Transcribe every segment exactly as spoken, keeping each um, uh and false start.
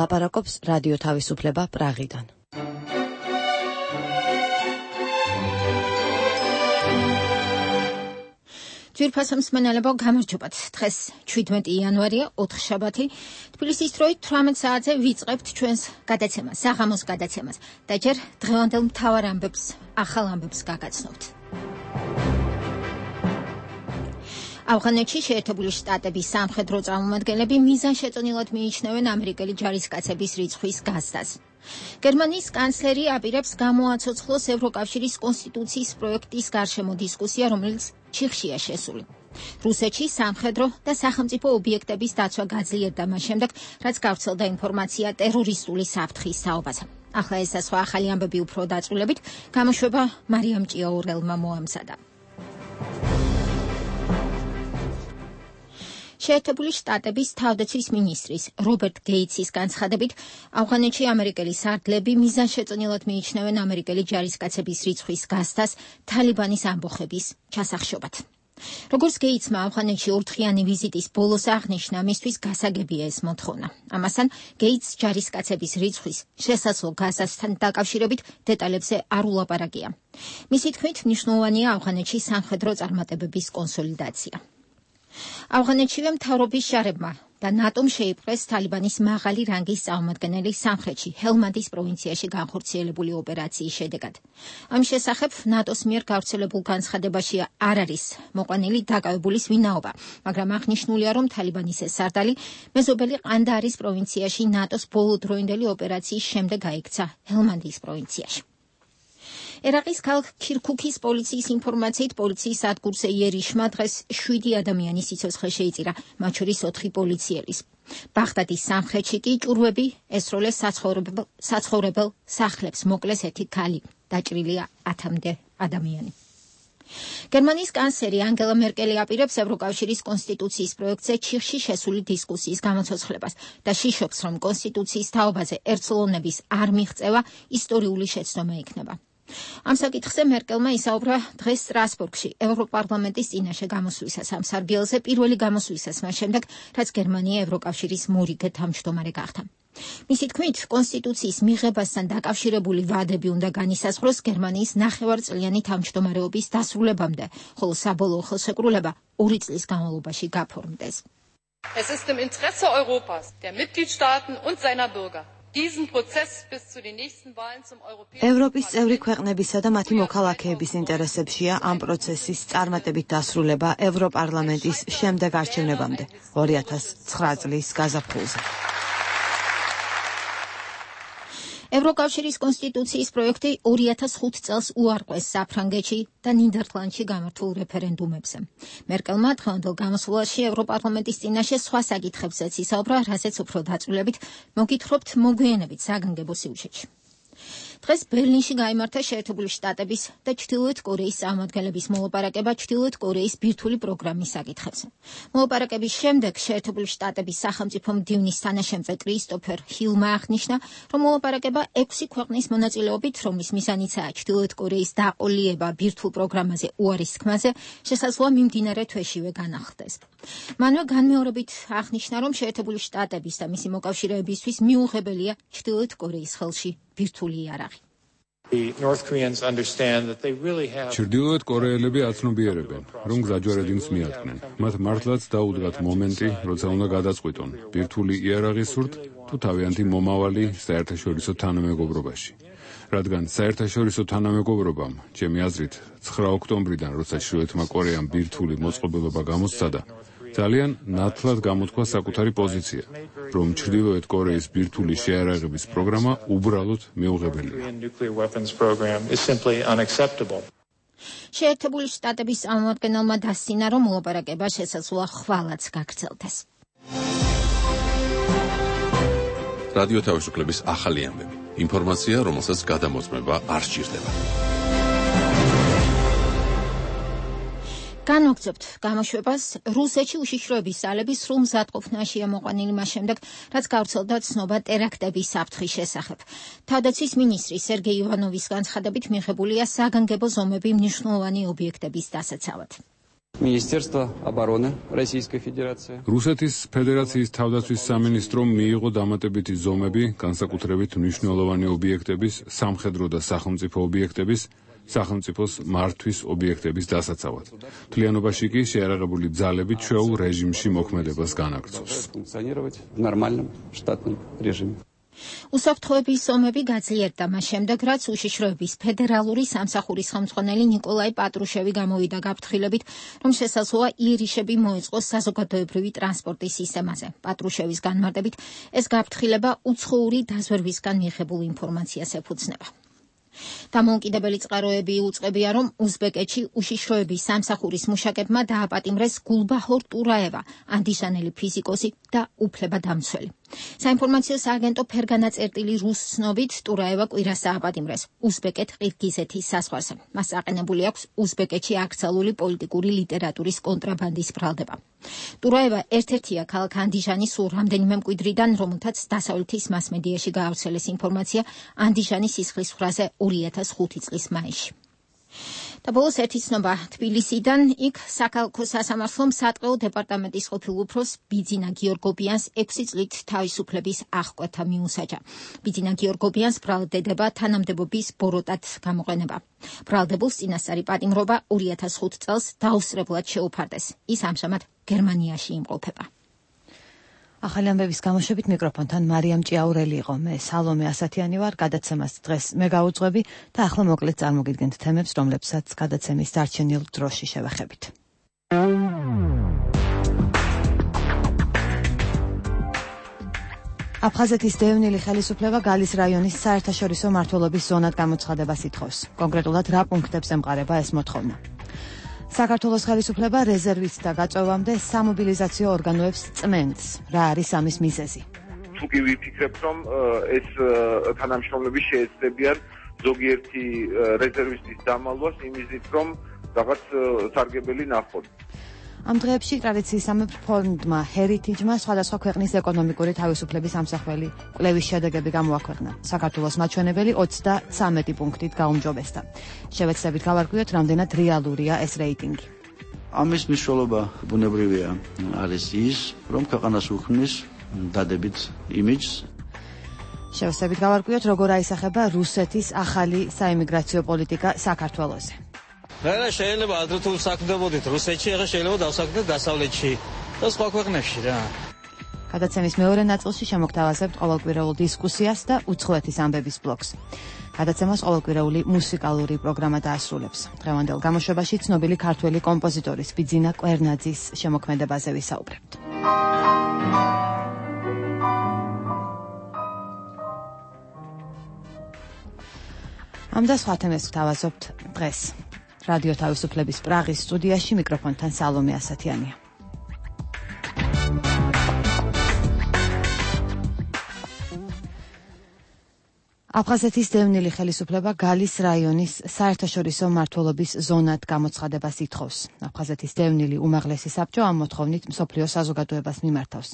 ლაპარაკობს რადიო თავისუფლება პრაღიდან. ძვირფასო მსმენელებო, გამარჯობათ. დღეს შვიდმეტი იანვარია, ოთხშაბათი. თბილისის დროით თვრამეტ საათზე ვიწყებთ ჩვენს გადაცემას, საღამოს გადაცემას და ჯერ დღევანდელ მთავარ ამბებს, ახალ ამბებს გაგაცნობთ. ავღანეთში შეერთებული შტატების სამხედრო წარმომადგენლები მიზანშეწონილად მიიჩნევენ ამერიკელი ჯარისკაცების რიცხვის გაზრდას. გერმანიის კანცლერი აპირებს გამოაცოცხლოს ევროკავშირის კონსტიტუციის პროექტის გარშემო დისკუსია, რომელიც ჩიხშია შესული. რუსეთში სამხედრო და სახელმწიფო ობიექტების დაცვა გაძლიერდა მას შემდეგ, რაც გავრცელდა ინფორმაცია ტერორისტული საფრთხის თაობაზე. ახლა ეს და სხვა ახალი ამბები უფრო დაწვრილებით გამოშვება მარიამ ჭიაურელმა მოამზადა. შეერთებული შტატების თავდაცვის მინისტრის რობერტ გეიცის განცხადებით, ავღანეთში ამერიკელი სარდლები მიზანშეწონილად მიიჩნევენ ამერიკელი ჯარისკაცების რიცხვის გაზრდას თალიბანის ამბოხების ჩასახშობად. როგორც გეიცმა ავღანეთში ორდღიანი ვიზიტის ბოლოს აღნიშნა, მისთვის გასაგებია ეს მოთხოვნა. ამასთან გეიცს ჯარისკაცების რიცხვის შესაძლო გაზრდასთან დაკავშირებით დეტალებზე არ ულაპარაკია. მისი თქმით, მნიშვნელოვანია ავღანეთში სამხედრო წარმატებების კონსოლიდაცია. ავღანეთშივე მთავრობის ჟარებმა და ნატომ შეიპყრეს თალიბანის მაღალი რანგის წარმომადგენელი სამხრეთში, ჰელმანდის პროვინციაში განხორციელებული ოპერაციის შედეგად. ამის შესახებ ნატოს მიერ გავრცელებულ განცხადებაში არ არის მოყვანილი დაკავებულის ვინაობა, მაგრამ აღნიშნულია, რომ თალიბანის ეს სარდალი მეზობელი ყანდაარის პროვინციაში ნატოს ბოლოდროინდელი ოპერაციის შემდეგ გაიქცა ჰელმანდის პროვინციაში. ერაყის ქალაქ ქირქუქის პოლიციის ინფორმაციით, პოლიციის სადგურზე იერიშმა დღეს შვიდი ადამიანის სიცოცხლე შეიწირა, მათ შორის ოთხი პოლიციელის. ბაღდადის სამხრეთში კი ჭურვები ესროლეს საცხოვრებელ, საცხოვრებელ სახლებს, მოკლეს ერთი ქალი, დაჭრილია ათამდე ადამიანი. გერმანიის კანცლერი ანგელა მერკელი აპირებს ევროკავშირის კონსტიტუციის პროექტზე ჩიხში შესული დისკუსიის გამოცოცხლებას და შიშობს, რომ კონსტიტუციის თაობაზე ერთსულოვნების არ მიღწევა ისტორიული შეცდომა იქნება. ამ საკითხზე მერკელმა ისაუბრა დღეს სტრასბურგში ევროპარლამენტის წინაშე გამოსვლისას ამ სარბიელზე, პირველი გამოსვლისას მას შემდეგ, რაც გერმანია ევროკავშირის მორიგე თავმჯდომარე გახდა. მისი თქმით, კონსტიტუციის მიღებასთან დაკავშირებული ვადები უნდა განისაზღვროს გერმანიის ნახევარწლიანი თავმჯდომარეობის დასრულებამდე, ხოლო საბოლოო ხელშეკრულება ორი წლის განმავლობაში გაფორმდეს. Es ist im Interesse Europas, der Mitgliedstaaten und seiner Bürger. ევროპის წევრი ქვეყნებისა და მათი მოქალაქეების ინტერესებშია ამ პროცესის წარმატებით დასრულება ევროპარლამენტის შემდეგ არჩევნებამდე ორი ათას ცხრა წლის გაზაფხულზე. ევროკავშირის კონსტიტუციის პროექტი ორი ათას ხუთ წელს უარყვეს საფრანგეთში და ნიდერლანდში გამართულ რეფერენდუმებზე. მერკელმა დღევანდელ გამოსვლაში ევროპარლამენტის წინაშე სხვა საკითხებზეც ისაუბრა, რასაც უფრო დაწვრილებით მოგითხრობთ მოგვიანებით საგანგებო სიუჟეტში. დღეს ბერლინში გაიმართა შეერთებული შტატების და ჩრდილოეთ კორეის წარმომადგენლების მოლაპარაკება ჩრდილოეთ კორეის ბირთვული პროგრამის საკითხებზე. მოლაპარაკების შემდეგ შეერთებული შტატების სახელმწიფო მდივნის თანაშემწე კრისტოფერ ჰილმა აღნიშნა, რომ მოლაპარაკება ექვსი ქვეყნის მონაწილეობით, რომლის მიზანიცაა ჩრდილოეთ კორეის დაყოლიება ბირთვულ პროგრამაზე უარის თქმაზე, შესაძლოა მიმდინარე თვეშივე განახლდეს. მანვე განმეორებით აღნიშნა, რომ შეერთებული შტატების და მისი მოკავშირეებისთვის მიუღებელია ჩრდილოეთ კორეის ხელში ბირთვული იარაღი. ჩრდილოეთ კორეელები აცნობიერებენ, რომ გზაჯვარედინს მიადგნენ. მათ მართლაც დაუდგათ მომენტი, როცა უნდა გადაწყვიტონ, ბირთვული იარაღის სურთ თუ თავიანთი მომავალი საერთაშორისო თანამეგობრობაში. რადგან საერთაშორისო თანამეგობრობამ, ჩემი აზრით, ცხრა ოქტომბრიდან, როცა ჩრდილოეთმა კორეამ ბირთვული მოწყობილობა გამოსცადა, ძალიან ნათლად გამოთქვა საკუთარი პოზიცია, რომ ჩრდილოეთ კორეის ბირთვული შეიარაღების პროგრამა უბრალოდ მიუღებელია. შეერთებული შტატების წარმომადგენელმა დასცინა, რომ მოლაპარაკება შესაძლოა ხვალაც გაგრძელდეს. რადიო თავისუფლების ახალი ამბები. ინფორმაცია, რომელსაც გადამოწმება არ სჭირდება. განვაგრძობთ გამოშვებას. რუსეთში უშიშროების ძალები სრულ მზადყოფნაშია მოყვანილი მას შემდეგ, რაც გავრცელდა ცნობა ტერაქტების საფრთხის შესახებ. თავდაცვის მინისტრი სერგეი ივანოვის განცხადებით მიღებულია საგანგებო ზომები მნიშვნელოვანი ობიექტების დასაცავად. Министерство обороны Российской Федерации. რუსეთის ფედერაციის თავდაცვის სამინისტრომ მიიღო დამატებითი ზომები განსაკუთრებით მნიშვნელოვანი ობიექტების, სამხედრო და სახელმწიფო ობიექტების, სახელმწიფოს მართვის ობიექტების დასაცავად. მთლიანობაში კი შეიარაღებული ძალები ჩვეულ რეჟიმში მოქმედებას განაგრძობს. Нормальном штатном режиме. უსაფრთხოების ზომები გაძლიერდა მას შემდეგ, რაც უშიშროების ფედერალური სამსახურის ხელმძღვანელი ნიკოლაი პატრუშევი გამოვიდა გაფრთხილებით, რომ შესაძლოა იერიშები მოეწყოს საზოგადოებრივი ტრანსპორტის სისტემაზე. პატრუშევის განმარტებით, ეს გაფრთხილება უცხოური დაზვერვისგან მიიღებულ ინფორმაციას ეფუძნება. დამოუკიდებელი წყაროები უწყებია, რომ უზბეკეთში უშიშროების სამსახურის მუშაკებმა დააპატიმრეს გულბაჰორ ტურაევა, ანდიშანელი ფიზიკოსი და უფლებადამცველი. საინფორმაციო სააგენტო ფერგანა წერტილი რუს ცნობით ტურაევა კვირას დააპატიმრეს უზბეკეთ-ყირგიზეთის საზღვარზე. მას აყენებული აქვს უზბეკეთში აკრძალული პოლიტიკური ლიტერატურის კონტრაბანდის ბრალდება. ტურაევა ერთ-ერთია ქალაქ ანდიჟანის სულ რამდენიმე მკვიდრიდან, რომელთაც დასავლეთის მასმედიაში გაავრცელეს ინფორმაცია ანდიჟანის სისხლის ხრაზე ორი ათას ხუთი წლის მაისში. და ბოლოს ერთი ცნობა თბილისიდან, იქ საქალაქო სასამართლომ სატყეო დეპარტამენტის ყოფილ უფროს ბიძინა გიორგობიანს ექვსი წლით თავისუფლების აღკვეთა მიუსაჯა. ბიძინა გიორგობიანს ბრალდება თანამდებობის ბოროტად გამოყენება. ბრალდებულს წინასწარი პატიმრობა ორი ათას ხუთი წელს დაუსწრებლად შეუფარდეს. ის ამჟამად გერმანიაში იმყოფება. ახალი ამბების გამოშვებით მიკროფონთან მარიამ ჭიაურელი იყო. მე სალომე ასათიანი ვარ, გადაცემას დღეს მე გავუძღვები და ახლა მოკლედ წარმოგიდგენთ თემებს, რომლებსაც გადაცემის დარჩენილ დროში შევეხებით. აფხაზეთის დევნილი ხელისუფლება გალის რაიონის საერთაშორისო მმართველობის ზონად გამოცხადებას ითხოვს. კონკრეტულად რა პუნქტებს ემყარება ეს მოთხოვნა? საქართველოს ხელისუფლება რეზერვით და გაწვევამდე სამობილიზაციო ორგანოებს წმენს. რა არის ამის მიზეზი? თუ კი ვიფიქრებთ, რომ ეს თანამშრომლები შეეცდებიან ზოგიერთი რეზერვისტის დამალვას იმისით, რომ რაღაც სარგებელი ნახონ. ამ დღეებში ტრადიციისამებრ ფონდმა ჰერითიჯმა სხვადასხვა ქვეყნის ეკონომიკური თავისუფლების ამსახველი კვლევის შედეგები გამოაქვეყნა. საქართველოს მაჩვენებელი ოცდათრამეტი პუნქტით გაუმჯობესდა. შევეცდებით გავარკვიოთ, რამდენად რეალურია ეს რეიტინგი. ამის მნიშვნელობა ბუნებრივია არის ის, რომ ქვეყანას უქმნის დადებით იმიჯს. შევეცდებით გავარკვიოთ, როგორ აისახება რუსეთის ახალი საიმიგრაციო პოლიტიკა საქართველოზე. რა შეიძლება ადრე თუ საქმდებოდით რუსეთში, ახლა შეიძლება დავსაქმდეთ დასავლეთში და სხვა ქვეყნებში რა. გადაცემის მეორე ნაწილში შემოგთავაზებთ ყოველკვირეულ დისკუსიას და უცხოეთის ამბების ბლოგს. გადაცემას ყოველკვირეული მუსიკალური პროგრამა დაასრულებს. დღევანდელ გამოშვებაში ცნობილი ქართველი კომპოზიტორის ბიძინა კვერნაძის შემოქმედებაზე ვისაუბრებთ. ამ და სხვა თემებს ვთავაზობთ დღეს. რადიო თავისუფლების პრაღის სტუდიაში მიკროფონთან სალომე ასათიანია. აფხაზეთის დევნილი ხელისუფლება გალის რაიონის საერთაშორისო მმართველობის ზონად გამოცხადებას ითხოვს. აფხაზეთის დევნილი უმაღლესი საბჭო ამ მოთხოვნით მსოფლიო საზოგადოებას მიმართავს.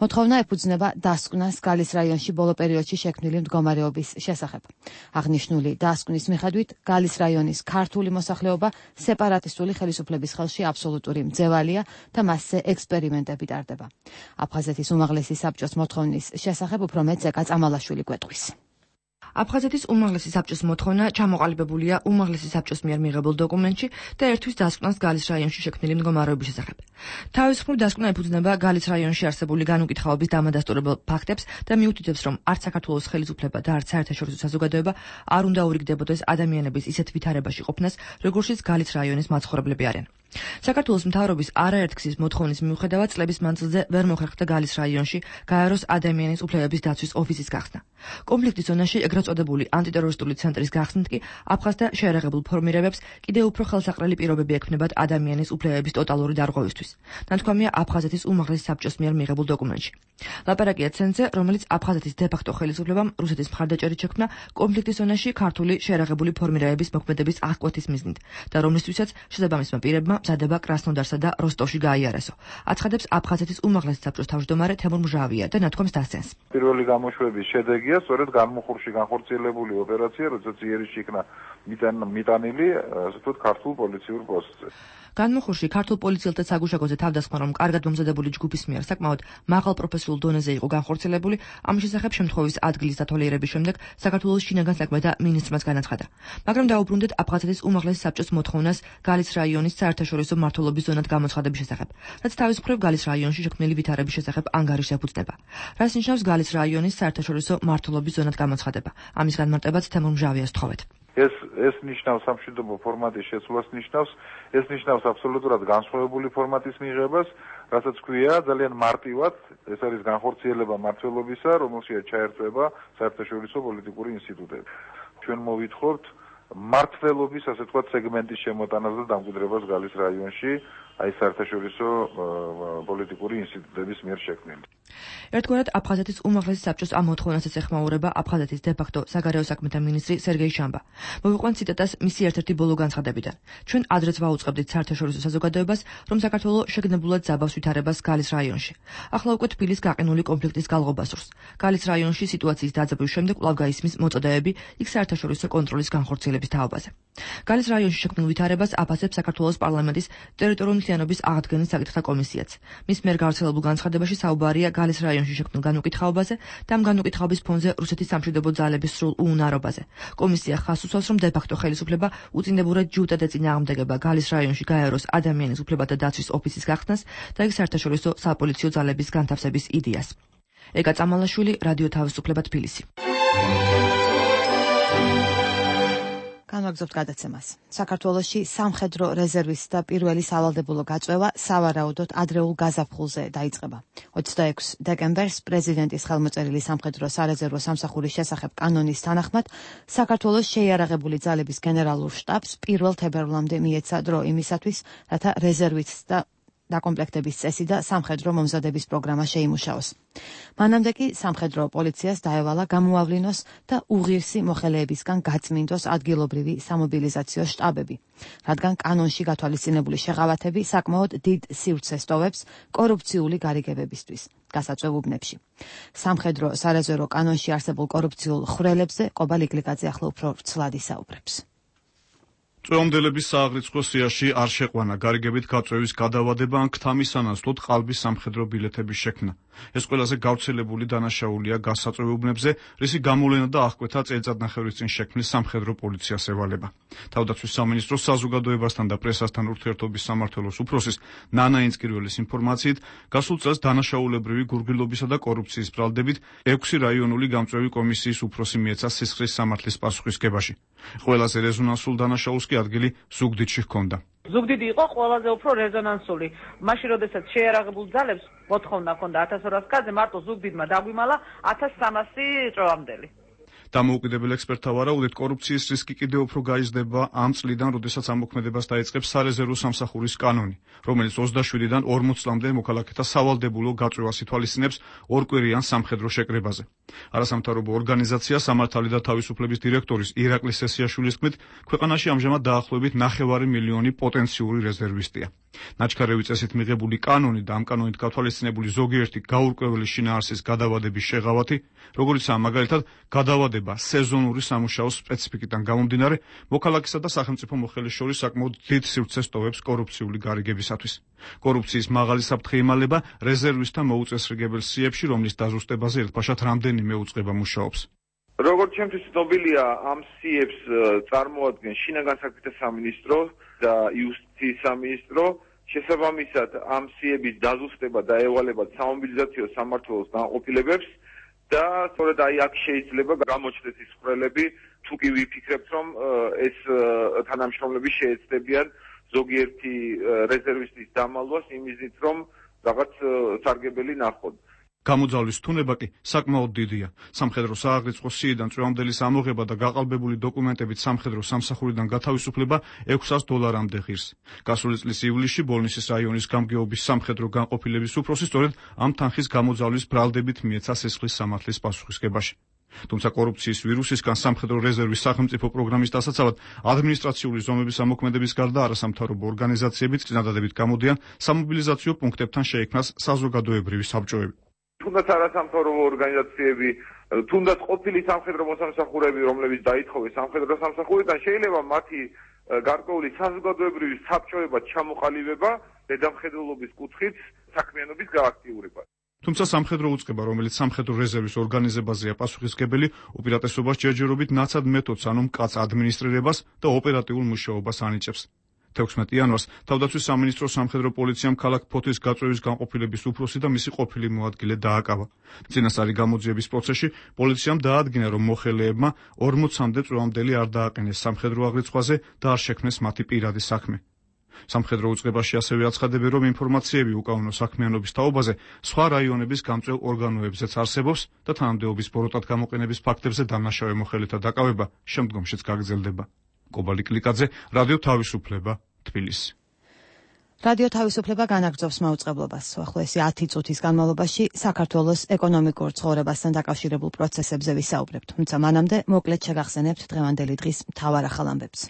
მოთხოვნა ეფუძნება დასკვნას გალის რაიონში ბოლო პერიოდში შექმნილი მდგომარეობის შესახებ. აღნიშნული დასკვნის მიხედვით გალის რაიონის ქართული მოსახლეობა სეპარატისტული ხელისუფლების ხელში აბსოლუტური მძევალია და მასზე ექსპერიმენტები ტარდება. აფხაზეთის უმაღლესი საბჭოს მოთხოვნის შესახებ უფრო მეტ ზეკა წამალაშვილი გვეტყვის. აფხაზეთის უმაღლესი საბჭოს მოთხოვნა ჩამოყალიბებულია უმაღლესი საბჭოს მიერ მიღებულ დოკუმენტში და ერთვის დასკვნას გალის რაიონში შექმნილი მდგომარეობის შესახებ. თავისუფლ დასკვნა ეფუძნება გალის რაიონში არსებული განუკითხაობის დამადასტურებელ ფაქტებს და მიუთითებს, რომ არც საქართველოს ხელისუფლება და არც საერთაშორისო საზოგადოება არ უნდა ურიგდებოდეს ადამიანების ისეთ ვითარებაში ყოფნას, როგორშიც გალის რაიონის მაცხოვრებლები არიან. საქართველოს მთავრობის არაერთგზის მოთხოვნის მიუხედავად წლების მანძილზე ვერ მოხერხდა გალის რაიონში გაეროს ადამიანის უფლებების დაცვის ოფისის გახსნა. კონფლიქტის ზონაში ეგრეთ წოდებული ანტიტერორისტული ცენტრის გახსნით კი აფხაზთა შეიარაღებულ ფორმირებებს კიდევ უფრო ხელსაყრელი პირობები ექმნებათ ადამიანის უფლებების ტოტალური დარღვევისთვის. ნათქვამია აფხაზეთის უმაღლესი საბჭოს მიერ მიღებულ დოკუმენტში. ლაპარაკია ცენტრზე, რომელიც აფხაზეთის დე-ფაქტო ხელისუფლებამ რუსეთის მხარდაჭერით შექმნა კონფლიქტის ზონაში ქართული შეიარაღებული ფორმირებების მოქმედების აღკვეთის მიზნით და რომლისთვისაც შესაბამისმა პირებმა მზადება კრასნოდარსა და როსტოვში გაიარესო. აცხადებს აფხაზეთის უმაღლესი საბჭოს თავმჯდომარე თემურ მჟავია და ნათქვამს დასცენს. პირველი გამოშვების შედეგია სწორედ განმუხურში განხორციელებული ოპერაცია, როდესაც იერიში იქნა მიტანილი, ასე ვთქვათ, ქართულ პოლიციურ პოსტზე. განმუხურში ქართულ პოლიციელთა საგუშაგოზე თავდასხმა, რომ კარგად მომზადებული ჯგუფის მიერ საკმაოდ მაღალ პროფესიულ დონეზე იყო განხორციელებული, ამის შესახებ შემთხვევის ადგილის დათვალიერების შემდეგ საქართველოს შინაგან საქმეთა მინისტრმაც განაცხადა. მაგრამ დაუბრუნდეთ აფხაზეთის უმაღლესი საბჭოს მოთხოვნას გალის რაიონის საერთაშორისო მმართველობის ზონად გამოცხადების შესახებ, რაც თავის მხრივ გალის რაიონში შექმნილი ვითარების შესახებ ანგარიშს ეფუძნება. რას ნიშნავს გალის რაიონის საერთაშორისო მმართველობის ზონად გამოცხადება? ამის განმარტებაც თემურ მჟავიას თხოვეთ. ეს ეს ნიშნავს სამშვიდობო ფორმატის შეცვლას ნიშნავს, ეს ნიშნავს აბსოლუტურად განსხვავებული ფორმატის მიღებას, რასაც ქვია ძალიან მარტივად, ეს არის განხორციელება მმართველობისა, რომელშია ჩაერთვება საერთაშორისო პოლიტიკური ინსტიტუტები. ჩვენ მოვითხოვთ მმართველობის, ასე ვთქვათ, სეგმენტის შემოტანას და დამკვიდრებას გალის რაიონში, აი საერთაშორისო პოლიტიკური ინსტიტუტების მიერ შექმნილი. ერთგვარად აფხაზეთის უმაღლესი საბჭოს ამ მოთხოვნასაც ეხმაურება აფხაზეთის დე-ფაქტო საგარეო საქმეთა მინისტრი სერგეი შამბა. მოვიყვანთ ციტატას მისი ერთ-ერთი ბოლო განცხადებიდან. ჩვენ ადრეც ვაუწყებდით საერთაშორისო საზოგადოებას, რომ საქართველოს შეგნებულად ზაბავს ვითარებას გალის რაიონში. ახლა უკვე თბილის გაყინული კონფლიქტის გალღობა სურს. გალის რაიონში სიტუაციის დაძაბვის შემდეგ კვლავ გაისმის მოწოდებები იქ საერთაშორისო კონტროლის განხორციელების თაობაზე. გალის რაიონში შექმნილ ვითარებას აფასებს საქართველოს პარლამენტის ტერიტორიული მთლიანობის აღდგენის საკითხთა კომისიაც. მის მიერ გავრცელებულ განცხადებაში საუბარია გალის რაიონში შექმნილ განუკითხაობაზე და ამ განუკითხაობის ფონზე რუსეთის სამშვიდობო ძალების სრულ უუნარობაზე. კომისია ხაზს უსვამს, რომ დე-ფაქტო ხელისუფლება უწინდებურად ჯიუტად ეწინააღმდეგება გალის რაიონში გაეროს ადამიანის უფლებათა დაცვის ოფისის გახსნას და იქ საერთაშორისო საპოლიციო ძალების განთავსების იდეას. ეკა წამალაშვილი, რადიო თავისუფლება, თბილისი. განვაგრძობთ გადაცემას. საქართველოში სამხედრო რეზერვის და პირველი სავალდებულო გაწვევა სავარაუდოდ ადრეულ გაზაფხულზე დაიწყება. ოცდაექვსი დეკემბერს პრეზიდენტის ხელმოწერილი სამხედრო სარეზერვო სამსახურის შესახებ კანონის თანახმად საქართველოს შეიარაღებული ძალების გენერალურ შტაბს პირველ თებერვლამდე მიეცა დრო იმისათვის, რათა რეზერვის და დაკომპლექტების წესი და სამხედრო მომზადების პროგრამა შეიმუშაოს. მანამდე კი სამხედრო პოლიციას დაევალა გამოავლინოს და უღირსი მოხელეებისგან გაწმინდოს ადგილობრივი სამობილიზაციო შტაბები, რადგან კანონში გათვალისწინებული შეღავათები საკმაოდ დიდ სივრცეს ტოვებს კორუფციული გარიგებებისთვის გასაწვევ უბნებში. სამხედრო სარეზერვო კანონში არსებულ კორუფციულ ხვრელებზე ყობა ლიკლიკაძე ახლა უფრო ცვლად ისაუბრებს. წვეომდელების სააღრიცხვო სიაში არ შეყვანა გარიგებით გაწვევის გადავადება ან ქთამის ანაცვლოდ ყალბის სამხედრო ბილეთების შექმნა. ეს ყველაზე გავრცელებული დანაშაულია გასაწვევ-უბნებზე, რისი გამოვლენა და აღკვეთა წელიწადნახევრის წინ შექმნის სამხედრო პოლიციას ევალება. თავდაცვის სამინისტროს საზოგადოებასთან და პრესასთან ურთიერთობის სამმართველოს უფროსის ნანა ინწკირველის ინფორმაციით, გასულ წელს დანაშაულებრივი გურგილობისა და კორუფციის ბრალდებით ექვსი რაიონული გამწვევი კომისიის უფროსი მიეცა სისხლის სამართლის პასუხისგებაში. ყველაზე რეზონანსულ დანაშაულს კი ადგილი ზუგდიდში ჰქონდა. ზუგდიდი იყო ყველაზე უფრო რეზონანსული. მაშინ, როდესაც შეიარაღებულ ძალებს მოთხოვნა ჰქონდა ათას ორას კაცზე, მარტო ზუგდიდმა დაგვიმალა ათას სამასი წვევამდელი. დამოუკიდებელ ექსპერტთა ვარაუდით, კორუფციის რისკი კიდევ უფრო გაიზრდება ამ წლიდან, როდესაც ამოქმედებას დაიწყებს სარეზერვო სამსახურის კანონი, რომელიც ოცდაშვიდიდან ორმოც წლამდე მოქალაქეთა სავალდებულო გაწვევას ითვალისწინებს ორკვირიან სამხედრო შეკრებაზე. არასამთავრობო ორგანიზაცია სამართალი და თავისუფლების დირექტორის ირაკლი სესიაშვილის თქმით, ქვეყანაში ამჟამად დაახლოებით ნახევარი მილიონი პოტენციური რეზერვისტია. ნაჩქარევი წესით მიღებული კანონი და ამ კანონით გათვალისწინებული ზოგიერთი გაურკვეველი შინაარსის გადავადების შეღავათი, როგორიცაა მაგალითად გადავადება სეზონური სამუშაოს სპეციფიკიდან გამომდინარე, მოქალაქესა და სახელმწიფო მოხელის შორის საკმაოდ დიდ სივრცეს ტოვებს კორუფციული გარიგებისათვის. კორუფციის მაღალი საფრთხე იმალება რეზერვისტთა მოუწესრიგებელ სიებში, რომლის დაზუსტებაზე ერთბაშად რამდენიმე უწყება მუშაობს. როგორც ჩემთვის ცნობილია, ამ სიებს წარმოადგენს შინაგან საქმეთა სამინისტრო და იუსტიციის სამინისტრო. შესაბამისად, ამ სიების დაზუსტება და ევალება სამობილიზაციო სამმართველოს განყოფილებებს და სწორედ აი აქ შეიძლება გამოჩნდეს ის ხვრელები, თუ კი ვიფიქრებთ, რომ ეს თანამშრომლები შეეცდებიან ზოგიერთი რეზერვისტის დამალვას იმისით, რომ რაღაც სარგებელი ნახონ. გამოძალვის თუნება კი საკმაოდ დიდია. სამხედრო სააღრიცხვო სიიდან წვევამდელი ამოღება და გაყალბებული დოკუმენტებით სამხედრო სამსახურიდან გათავისუფლება ექვსას დოლარამდე ღირს. გასული წლის ივლისში ბოლნისის რაიონის გამგეობის სამხედრო განყოფილების უფროსი სწორედ ამ თანხის გამოძალვის ბრალდებით მიეცა სისხლის სამართლის პასუხისგებაში. თუმცა კორუფციის ვირუსისგან სამხედრო რეზერვის სახელმწიფო პროგრამის დასაცავად ადმინისტრაციული ზომების ამოქმედების გარდა არასამთავრობო ორგანიზაციებიც წინადადებით გამოდიან სამობილიზაციო პუნქტებთან შეიქმნას საზოგადოებრივი საბჭოები. თუნდაც არასამთავრობო ორგანიზაციები, თუნდაც ყოფილი სამხედრო მოსამსახურეები, რომლებიც დაითხოვეს სამხედრო სამსახურიდან, შეიძლება მათი გარკვეული საზოგადოებრივი საბჭოება ჩამოყალიბება დედამხედველობის კუთხით საქმიანობის გააქტიურება. თუმცა სამხედრო უწყება, რომელიც სამხედრო რეზერვის ორგანიზებაზეა პასუხისმგებელი, უპირატესობას ჯერჯერობით ნაცად მეთოდს, ანუ მკაც ადმინისტრირებას და ოპერატიულ მუშაობას ანიჭებს. თექვსმეტი იანვარს თავდაცვის სამინისტროს სამხედრო პოლიციამ ქალაქ ფოთის გაწვევის განყოფილების უფროსი და მისი ყოფილი მოადგილე დააკავა. წინასწარი გამოძიების პროცესში პოლიციამ დაადგინა, რომ მოხელეებმა ორმოცამდე წვევამდელი არ დააყენეს სამხედრო აღრიცხვაზე და არ შექმნეს მათი პირადი საქმე. სამხედრო უწყებაში ასევე აცხადებენ, რომ ინფორმაციები უკანონო საქმიანობის თაობაზე სხვა რაიონების გამწვევ ორგანოებზეც არსებობს და თანამდებობის ბოროტად გამოყენების ფაქტებზე დამნაშავე მოხელეთა დაკავება შემდგომშიც გაგრძელდება. კობალი კლიკაძე, რადიო თავისუფლება, თბილისი. რადიო თავისუფლება განაგრძობს მაუწყებლობას. ახლა ეს ათი წუთის განმავლობაში საქართველოს ეკონომიკურ ცხოვრებასთან დაკავშირებულ პროცესებზე ვისაუბრებთ. თუმცა მანამდე მოკლედ შეგახსენებთ დღევანდელი დღის მთავარ ახალ ამბებს.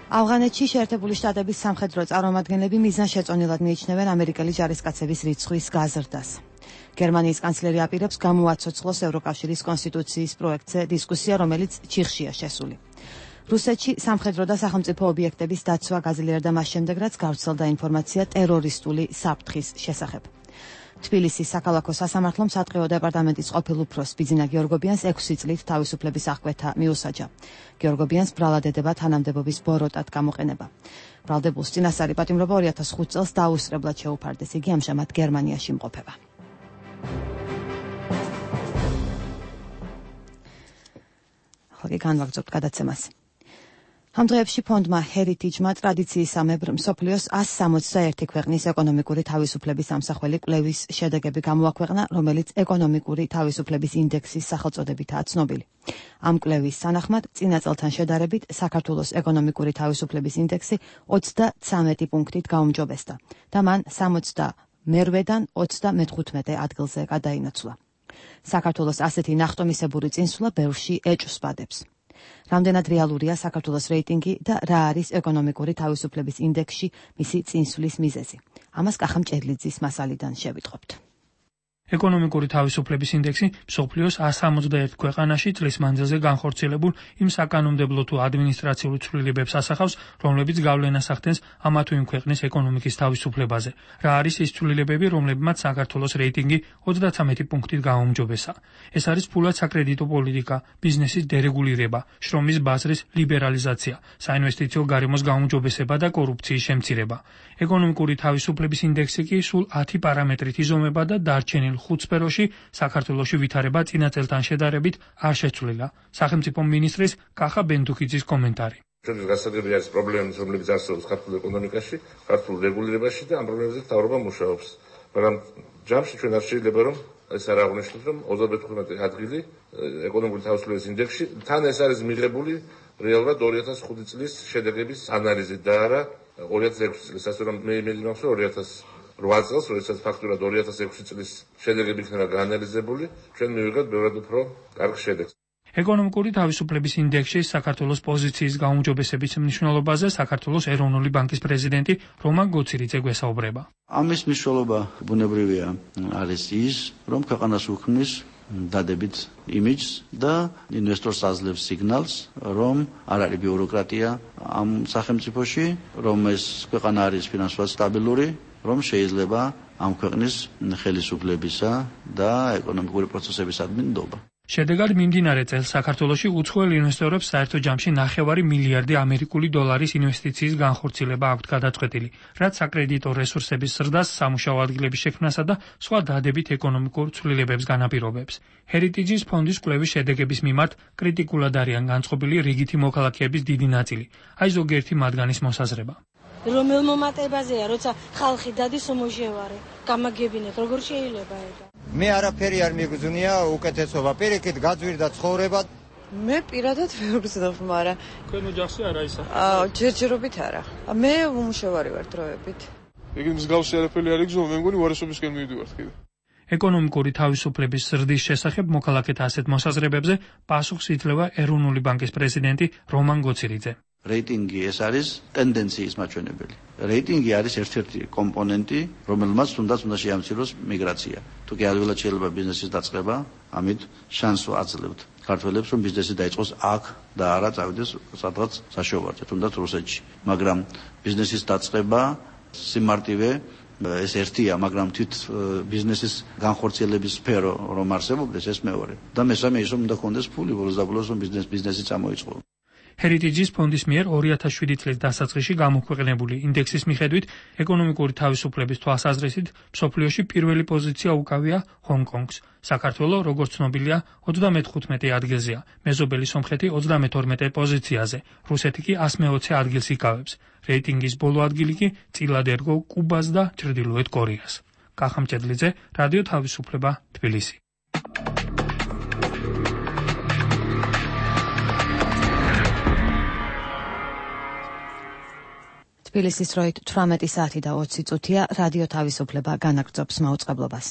ავღანეთში შეერთებული შტატების სამხედრო წარმომადგენლები მიზანშეწონილად მიიჩნევენ ამერიკელი ჯარისკაცების რიცხვის გაზრდას. გერმანიის კანცლერი აპირებს გამოაცოცხლოს ევროკავშირის კონსტიტუციის პროექტზე დისკუსია, რომელიც ჩიხშია შესული. რუსეთში სამხედრო და სახელმწიფო ობიექტების დაცვა გაძლიერდა მას შემდეგ, რაც გავრცელდა ინფორმაცია ტერორისტული საფრთხის შესახებ. თბილისის საქალაქო სასამართლომ სატყეო დეპარტამენტის ყოფილ უფროს ბიძინა გიორგობიანს ექვსი წლით თავისუფლების აღკვეთა მიუსაჯა. გიორგობიანს ბრალადებება თანამდებობის ბოროტად გამოყენება. ბრალდებულს წინასწარი პატიმრობა ორი ათას ხუთი წელს დაუსწრებლად შეუფარდეს. იგი ამჟამად გერმანიაში იმყოფება. ახლა განვაგრძობთ გადაცემას. ამ დღეებში ფონდმა ჰერიტიჯმა ტრადიციისამებრ მსოფლიოს ას სამოცდაერთი ქვეყნის ეკონომიკური თავისუფლების ამსახველი კვლევის შედეგები გამოაქვეყნა, რომელიც ეკონომიკური თავისუფლების ინდექსის სახელწოდებითაა ცნობილი. ამ კვლევის თანახმად, წინა წელთან შედარებით, საქართველოს ეკონომიკური თავისუფლების ინდექსი ოცდაცამეტი პუნქტით გაუმჯობესდა და მან სამოცდამერვედან ოცდამეთხუთმეტე ადგილზე გადაინაცვლა. საქართველოს ასეთი ნახტომისებური წინსვლა ბევრში ეჭვს ბადებს. რამდენად რეალურია საქართველოს რეიტინგი და რა არის ეკონომიკური თავისუფლების ინდექსში მისი წინსვლის მიზეზი? ამას კახა მჭედლიძის მასალიდან შევიტყობთ. ეკონომიკური თავისუფლების ინდექსი მსოფლიოს ას სამოცდაერთ ქვეყანაში წლის მანძილზე განხორციელებულ იმ საკანონმდებლო თუ ადმინისტრაციულ ცვლილებებს ასახავს, რომლებიც გავლენას ახდენს ამა თუ იმ ქვეყნის ეკონომიკის თავისუფლებაზე. რა არის ის ცვლილებები, რომლებმაც საქართველოს რეიტინგი ოცდაცამეტი პუნქტით გააუმჯობესა? ეს არის ფულად საკრედიტო პოლიტიკა, ბიზნესის დერეგულირება, შრომის ბაზრის ლიბერალიზაცია, საინვესტიციო გარემოს გაუმჯობესება და კორუფციის შემცირება. ეკონომიკური თავისუფლების ინდექსი კი სულ ათი პარამეტრით იზომება და დარჩენილ ხუთ სფეროში საქართველოში ვითარება წინა წელთან შედარებით არ შეცვლილა. სახელმწიფო მინისტრის კახა ბენდუქიძის კომენტარი. ჩვენი გასაგები არის პრობლემები, რომლებიც არსებობს ქართულ ეკონომიკაში, ქართულ რეგულირებაში და ამ პრობლემებზე მთავრობა მუშაობს. მაგრამ ჯამში ჩვენ არ შეიძლება რომ ეს არ აღნიშნოთ, რომ ოცდამეთხუთმეტე ადგილი ეკონომიკური თავისუფლების ინდექსში თან ეს არის მიღებული რეალურად ორი ათას ხუთი წლის შედეგების ანალიზით და არა ორი ათას ექვსი წლის. ასე რომ მე იმედი მაქვს, რომ ორი ათას რვა წელს, როდესაც ფაქტურად ორი ათას ექვსი წლის შედეგები იქნება გაანალიზებული, ჩვენ მივიღებთ ბევრად უფრო კარგ შედეგს. ეკონომიკური თავისუფლების ინდექსში საქართველოს პოზიციის გაუმჯობესების მნიშვნელობაზე საქართველოს ეროვნული ბანკის პრეზიდენტი რომან გოცირიძე გვესაუბრება. ამის მნიშვნელობა ბუნებრივია არის ის, რომ ქვეყანას უქმნის დადებით იმიჯს და ინვესტორს აძლევს სიგნალს, რომ არ არის ბიუროკრატია ამ სახელმწიფოში, რომ ეს ქვეყანა არის ფინანსურად სტაბილური, რომ შეიძლება ამ ქვეყნის ხელისუფლებისა და ეკონომიკური პროცესების ადმინდობა. შედეგად მიმდინარე წელს საქართველოში უცხოელ ინვესტორებს საერთო ჯამში ნახევარი მილიარდი ამერიკული დოლარის ინვესტიციის განხორციელება აქვთ გადაწყვეტილი, რაც საკრედიტო რესურსების ზრდას, სამუშაო ადგილების შექმნასა და სხვა დადებით ეკონომიკურ ცვლილებებს განაპირობებს. ჰერიტიჯის ფონდის კვლევის შედეგების მიმართ კრიტიკულად არიან განწყობილი რიგითი მოქალაქეების დიდი ნაწილი. აი ზოგიერთი მათგანის მოსაზრება. რომელ მომატებაზეა, როცა ხალხი დადის უმოჟევარე, გამაგებინეთ, როგორ შეიძლება ეგა? მე არაფერი არ მიგზნია უკეთესობა, პირიქით გაძვირდა ცხოვრება. მე პირადად ვერ გზნობ, მაგრამ თქვენ ოჯახში არა ისა? აა, ჯერჯერობით არა. მე უმუშევარი ვარ დროებით. იგი მსგავსი არაფერი არ იგზნო, მე მგონი უარესობისკენ მივიდივართ კიდე. ეკონომიკური თავისუფლების ზრდის შესახებ მოქალაქეთა ასეთ მოსაზრებებზე პასუხს იძლევა ეროვნული ბანკის პრეზიდენტი რომან გოცირიძე. რეიტინგი ეს არის ტენდენციის მაჩვენებელი. რეიტინგი არის ერთ-ერთი კომპონენტი, რომელმაც თუნდაც უნდა შეამციროს მიგრაცია. თუ კი ადვილად შეიძლება ბიზნესის დაწყება, ამით შანსს აძლევთ ქართველებს, რომ ბიზნესი დაიწყოს აქ და არა წავიდეს სადღაც საშუალებაზე, თუნდაც რუსეთში. მაგრამ ბიზნესის დაწყება სიმარტივე ეს ერთია, მაგრამ თვით ბიზნესის განხორციელების სფერო რომ არსებობდეს, ეს მეორე. და მესამე ის რომ უნდა ქონდეს ფული, ბოლოს და ბოლოს რომ ბიზნეს ბიზნესი წამოიწყო. Heritage-ის ფონდის მიერ ორი ათას შვიდი წლის დასაწყისში გამოქვეყნებული ინდექსის მიხედვით ეკონომიკური თავისუფლების თვალსაზრისით მსოფლიოში პირველი პოზიცია უკავია ჰონგ-კონგს. საქართველო, როგორც ცნობილია, ოცდამეხუთმეტე ადგილზეა, მეზობელი სომხეთი ოცდამეთორმეტე პოზიციაზე, რუსეთი კი εκατს მეოცე ადგილს იკავებს. რეიტინგის ბოლო ადგილი კი წილად ერგო კუბას და ჩრდილოეთ კორეას. კახა მჭედლიძე, რადიო თავისუფლება, თბილისი. თბილისის დროით თვრამეტი საათი და ოცი წუთია, რადიო თავისუფლება განაგრძობს მაუწყებლობას.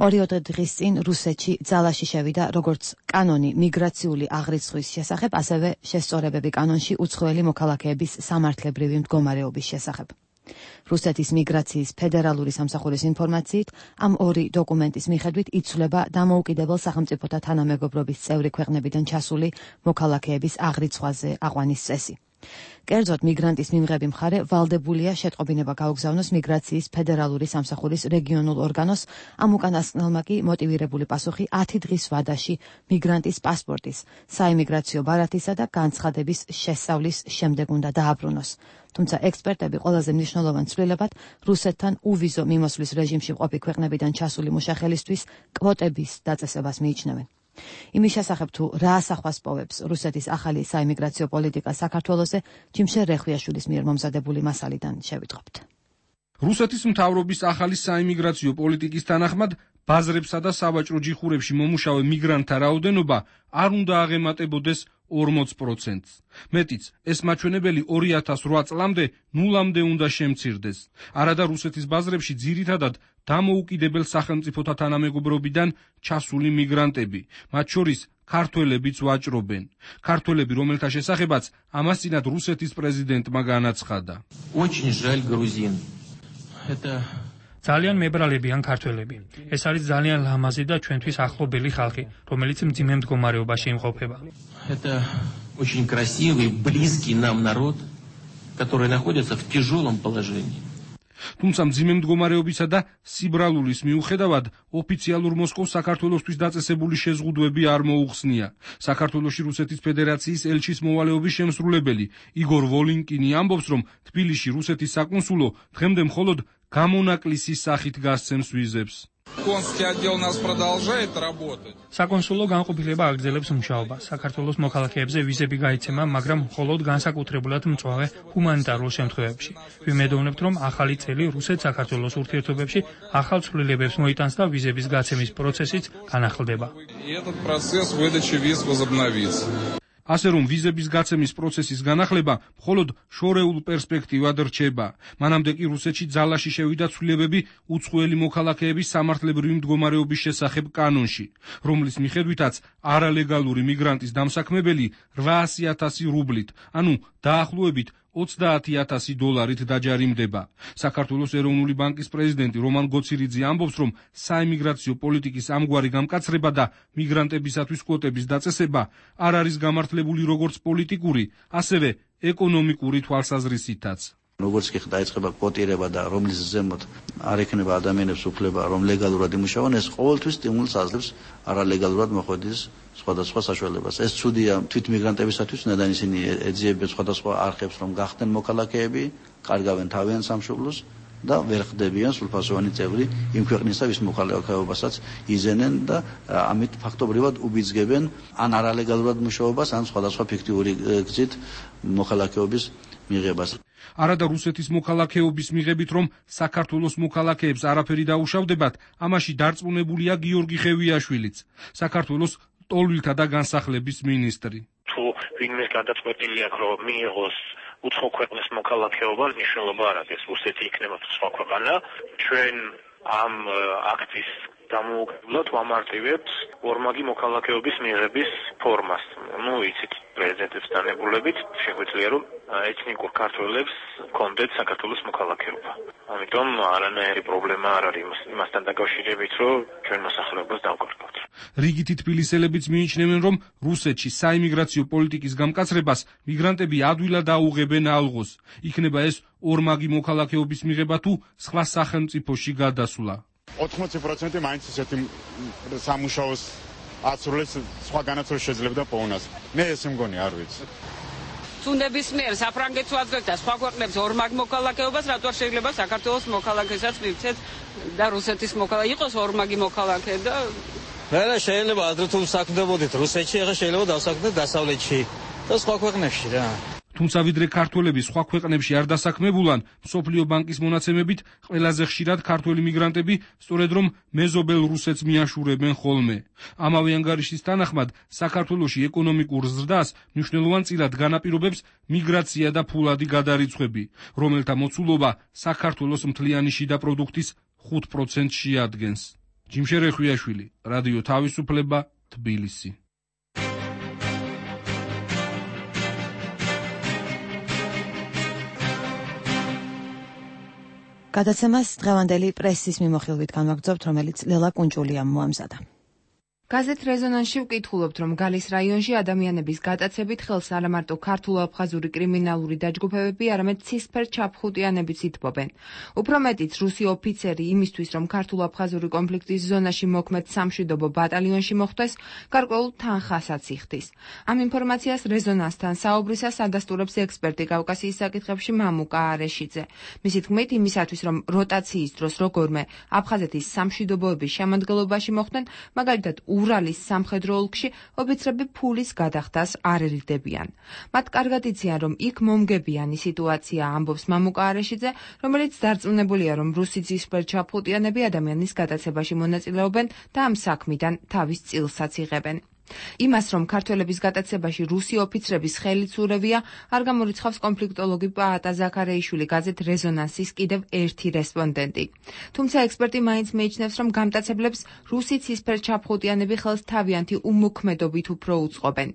ორიოდე დღის წინ რუსეთში ძალაში შევიდა როგორც კანონი მიგრაციული აღრიცხვის შესახებ, ასევე შესწორებები კანონში უცხოელი მოქალაქეების სამართლებრივი მდგომარეობის შესახებ. რუსეთის მიგრაციის ფედერალური სამსახურის ინფორმაციით, ამ ორი დოკუმენტის მიხედვით იცვლება დამოუკიდებელ სახელმწიფოთა თანამეგობრობის წევრი ქვეყნებიდან ჩასული მოქალაქეების აღრიცხვაზე აყვანის წესი. კერძოდ მიგრანტის მიმღები მხარე ვალდებულია შეტყობინება გაუგზავნოს მიგრაციის ფედერალური სამსახურის რეგიონულ ორგანოს, ამ უკანასკნელმა კი მოტივირებული პასუხი ათი დღის ვადაში მიგრანტის პასპორტის, საიმიგრაციო ბარათისა და განცხადების შესწავლის შემდეგ უნდა დააბრუნოს. თუმცა ექსპერტები ყველაზე მნიშვნელოვან ცვლილებად რუსეთთან უვიზო მიმოსვლის რეჟიმში მყოფი ქვეყნებიდან ჩასული მუშახელისთვის კვოტების დაწესებას მიიჩნევენ. იმის შესახებ თუ რა ასახვას პოვებს რუსეთის ახალი საიმიგრაციო პოლიტიკა საქართველოზე, ჯიმშერ რეხვიაშვილის მიერ მომზადებული მასალიდან შევიტყობთ. რუსეთის მთავრობის ახალი საიმიგრაციო პოლიტიკის თანახმად ბაზრებსა და სავაჭრო ჯიხურებში მომუშავე მიგრანტთა რაოდენობა არ უნდა აღემატებოდეს ორმოც პროცენტს. მეტიც, ეს მაჩვენებელი ორი ათას რვა წლამდე ნულამდე უნდა შემცირდეს. არადა რუსეთის ბაზრებში ძირითადად დამოუკიდებელ სახელმწიფოთა თანამეგობრობიდან ჩასული მიგრანტები, მათ შორის ქართველებიც ვაჭრობენ. ქართველები, რომელთა შესახებაც ამას წინათ რუსეთის პრეზიდენტმა განაცხადა. ძალიან მებრალებიან ქართველები. ეს არის ძალიან ლამაზი და ჩვენთვის ახლობელი ხალხი, რომელიც მძიმე მდგომარეობაში იმყოფება. Это очень красивый, близкий нам народ, который находится в тяжелом положении. თუმცა მძიმე მდგომარეობისა და სიბრალულის მიუხედავად ოფიციალურ მოსკოვს საქართველოსთვის დაწესებული შეზღუდვები არ მოუხსნია. საქართველოში რუსეთის ფედერაციის ელჩის მოვალეობის შემსრულებელი იგორ ვოლინკინი ამბობს, რომ თბილისში რუსეთის საკონსულო დღემდე მხოლოდ გამონაკლისის სახით გასცემს ვიზებს. Консульский отдел у нас продолжает работать. საკონსულო განყოფილება აგრძელებს მუშაობას. საქართველოს მოქალაქეებზე ვიზები გაიცემა, მაგრამ მხოლოდ განსაკუთრებულად მწვავე ჰუმანიტარულ შემთხვევებში. ვიმედოვნებთ, რომ ახალი წელი რუსეთ-საქართველოს ურთიერთობებში ახალ ცვლილებებს მოიტანს და ვიზების გაცემის პროცესიც განახლდება. И этот процесс выдачи виз возобновится. ასე რომ ვიზების გაცემის პროცესის განახლება მხოლოდ შორეულ პერსპექტივად რჩება. მანამდე კი რუსეთში ძალაში შევიდა ცვლილებები უცხოელი მოქალაქეების სამართლებრივი მდგომარეობის შესახებ კანონში, რომლის მიხედვითაც არალეგალური მიგრანტის დამსაქმებელი რვაასი ათასი რუბლით, ანუ დაახლოებით ოცდაათი ათასი დოლარით დაჯარიმდება. საქართველოს ეროვნული ბანკის პრეზიდენტი რომან გოცირიძე ამბობს, რომ საიმიგრაციო პოლიტიკის ამგვარი გამკაცრება და მიგრანტებისათვის კვოტების დაწესება არ არის გამართლებული როგორც პოლიტიკური, ასევე ეკონომიკური თვალსაზრისითაც. როგორც კი დაიწყება კვოტირება და რომლის ზემოთ არ ექნება ადამიანებს უფლება რომ ლეგალურად იმუშაონ, ეს ყოველთვის სტიმულს აძლევს არალეგალურად მოხვედის სხვადასხვა საშუალებას. ეს ცუდია თვით მიგრანტებისათვის, ნედან ისინი ეძიებენ სხვადასხვა არხებს, რომ გახდნენ მოქალაქეები, კარგავენ თავიანთ სამშობლოს და ვერ ხდებიან სრულფასოვანი წევრი იმ ქვეყნისა, ვის მოქალაქეობასაც იზენენ და ამით ფაქტობრივად უბიძგებენ ან არალეგალურად მუშაობას, ან სხვადასხვა ფიქტიური გზით მოქალაქეობის მიღებას. არადა რუსეთის მოქალაქეობის მიღებით, რომ საქართველოს მოქალაქეებს არაფერი დაუშავდებათ, ამაში დარწმუნებულია გიორგი ხევიაშვილიც, საქართველოს ტოლვილთა და განსახლების მინისტრი. თუ ვინმე გადაწყვეტილი აქვს, რომ მიიღოს უცხო ქვეყნის მოქალაქეობა, მნიშვნელობა არ აქვს, რუსეთი იქნება სხვა ქვეყანა. ჩვენ ამ აქტის დამოუკიდებლად ვამარტივებთ ორმაგი მოქალაქეობის მიღების ფორმას. ნუ იცით, პრეზიდენტის დანებულებით შეგვიძლია რომ ეთნიკურ ქართველებს ჰქონდეთ საქართველოს მოქალაქეობა. ამიტომ არანაირი პრობლემა არ არის იმასთან დაკავშირებით, რომ ჩვენ მოსახლეობას დავკარგავთ. რიგითი თბილისელებიც მიიჩნევენ, რომ რუსეთში საიმიგრაციო პოლიტიკის გამკაცრებას მიგრანტები ადვილად აუღებენ ალღოს. იქნება ეს ორმაგი მოქალაქეობის მიღება თუ სხვა სახელმწიფოში გადასვლა. ოთხმოცი პროცენტი მაინც ისეთი სამუშაოს აცრულებს, სხვა განაცვლას შეძლებდა პოვნას. მე ესე მგონი არ ვიცი. თუ ნებისმიერ საფრანგეთს ვაძლევთ და სხვა ქვეყნებს ორმაგ მოქალაქეობას, რატო არ შეიძლება საქართველოს მოქალაქესაც მივცეთ და რუსეთის მოქალაქე იყოს ორმაგი მოქალაქე და რა შეიძლება ადრე თუ საქმდებოდით რუსეთში, ახლა შეიძლება დავსაქმდეთ დასავლეთში და სხვა ქვეყნებში რა. თუმცა ვიდრე ქართველები სხვა ქვეყნებში არ დასაქმებულან, მსოფლიო ბანკის მონაცემებით ყველაზე ხშირად ქართველი მიგრანტები სწორედ რომ მეზობელ რუსეთს მიაშურებენ ხოლმე. ამავე ანგარიშის თანახმად, საქართველოში ეკონომიკურ ზრდას მნიშვნელოვანწილად განაპირობებს მიგრაცია და ფულადი გადარიცხვები, რომელთა მოცულობა საქართველოს მთლიანი შიდა პროდუქტის ხუთ პროცენტს შეადგენს. ჯიმშერ ეხვიაშვილი, რადიო თავისუფლება, თბილისი. გადაცემას დღევანდელი პრესის მიმოხილვით განვაგრძობთ, რომელიც ლელა კუნჭულიამ მოამზადა. გაზეთ რეზონანსში ვკითხულობთ, რომ გალის რაიონში ადამიანების გატაცებით ხელს არა მარტო ქართულ-აფხაზური კრიმინალური დაჯგუფებები, არამედ ცისფერ ჩაფხუტიანებიც ითბობენ. უფრო მეტიც, რუსი ოფიცერი იმისთვის, რომ ქართულ-აფხაზური კონფლიქტის ზონაში მოქმედ სამშვიდობო ბატალიონში მოხვდეს, გარკვეულ თანხასაც იხდის. ამ ინფორმაციას რეზონანსთან საუბრისას ადასტურებს ექსპერტი კავკასიის საკითხებში მამუკა არეშიძე. მისი თქმით, იმისათვის, რომ როტაციის დროს როგორმე აფხაზეთის სამშვიდობოების შემადგენლობაში მოხვდნენ, მაგალითად ურალის სამხედრო ოლქში ოფიცრები ფულის გადახდას არ ერიდებიან. მათ კარგად იციან, რომ იქ მომგებიანი სიტუაცია, ამბობს მამუკა არეშიძე, რომელიც დარწმუნებულია, რომ რუსი ცისფერ ჩაფხუტიანები ადამიანის გადაცებაში მონაწილეობენ და ამ საქმიდან თავის წილსაც იღებენ. იმას, რომ ქართველების გატაცებაში რუსი ოფიცრების ხელიც ურევია, არ გამორიცხავს კონფლიქტოლოგი პაატა ზაქარეიშვილი გაზეთ რეზონანსის კიდევ ერთი რესპონდენტი. თუმცა ექსპერტი მაინც მიიჩნევს, რომ გამტაცებლებს რუსი ცისფერ ჩაფხუტიანები ხელს თავიანთი უმოქმედობით უფრო უწყობენ.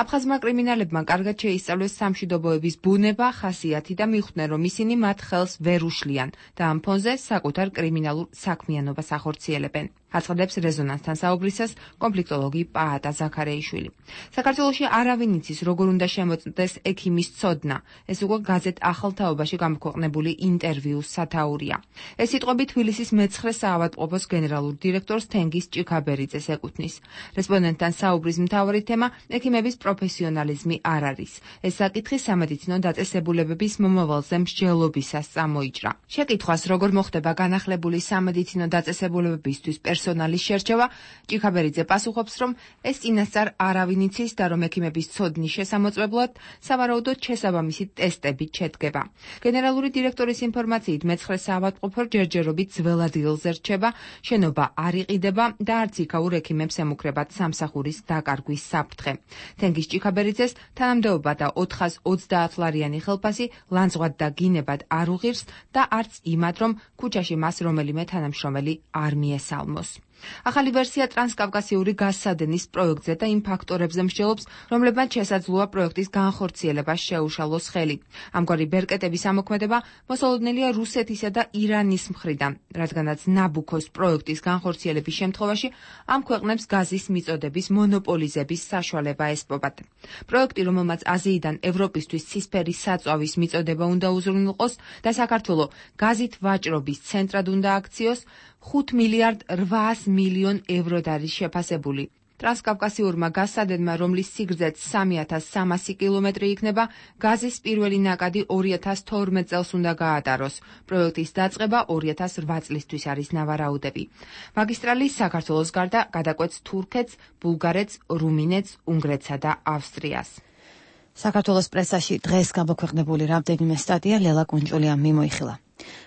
აფხაზმა კრიმინალებმა კარგად შეისწავლეს სამშვიდობოების ბუნება, ხასიათი და მიხვდნენ, რომ ისინი მათ ხელს ვერ უშლიან და ამ ფონზე საკუთარ კრიმინალურ საქმიანობას ახორციელებენ. აცხადებს რეზონანსთან საუბრისას კონფლიქტოლოგი პაატა ზაქარეიშვილი. საქართველოში არავინ იცის, როგორ უნდა შემოწმდეს ექიმის ცოდნა. ეს უკვე გაზეთ ახალთაობაში გამოქვეყნებული ინტერვიუს სათაურია. ეს სიტყვები თბილისის მეცხრე საავადმყოფოს გენერალურ დირექტორს თენგიზ ჭიქაბერიძეს ეკუთვნის. რესპონდენტთან საუბრის მთავარი თემა ექიმების პროფესიონალიზმი არ არის. ეს საკითხი სამედიცინო დაწესებულებების მომავალზე მსჯელობისას წამოიჭრა. შეკითხვას, როგორ მოხდება განახლებული სამედიცინო დაწესებულებებისთვის პერსონალის შერჩევა, ჭიქაბერიძე პასუხობს, რომ ეს წინასწარ არავინ იცის და რომ ექიმების ცოდნის შესამოწმებლად სავარაუდოდ შესაბამისი ტესტები შედგება. გენერალური დირექტორის ინფორმაციით მეცხრე საავადმყოფო ჯერჯერობით ძველ ადგილზე რჩება, შენობა არ იყიდება და არც იქაურ ექიმებს ემუქრებათ სამსახურის დაკარგვის საფრთხე. თენგიზ ჭიქაბერიძეს თანამდებობა და ოთხას ოცდაათ ლარიანი ხელფასი ლანძღვად და გინებად არ უღირს და არც იმად, რომ ქუჩაში მას რომელიმე თანამშრომელი არ მიესალმოს. ახალი ვერსია ტრანსკავკასიური გაზსადენის პროექტზე და იმ ფაქტორებზე მსჯელობს, რომლებმაც შესაძლოა პროექტის განხორციელებას შეუშალოს ხელი. ამგვარი ბერკეტების ამოქმედება მოსალოდნელია რუსეთისა და ირანის მხრიდან, რადგანაც ნაბუქოს პროექტის განხორციელების შემთხვევაში ამ ქვეყნებს გაზის მიწოდების მონოპოლიზების საშუალება ესპობათ. პროექტი, რომელმაც აზიიდან ევროპისთვის ცისფერი საწვავის მიწოდება უნდა უზრუნველყოს და საქართველო გაზით ვაჭრობის ცენტრად უნდა აქციოს, ხუთ მილიარდ რვაას მილიონ ევროდ არის შეფასებული. ტრანსკავკასიურმა გაზსადენმა, რომლის სიგრძეც სამი ათას სამასი კილომეტრი იქნება, გაზის პირველი ნაკადი ორი ათას თორმეტ წელს უნდა გაატაროს. პროექტის დაწყება ორი ათას რვა წლისთვის არის ნავარაუდები. მაგისტრალი საქართველოს გარდა გადაკვეთს თურქეთს, ბულგარეთს, რუმინეთს, უნგრეთსა და ავსტრიას. საქართველოს პრესაში დღეს გამოქვეყნებული რამდენიმე სტატია ლელა კუნჭულიამ მიმოიხილა.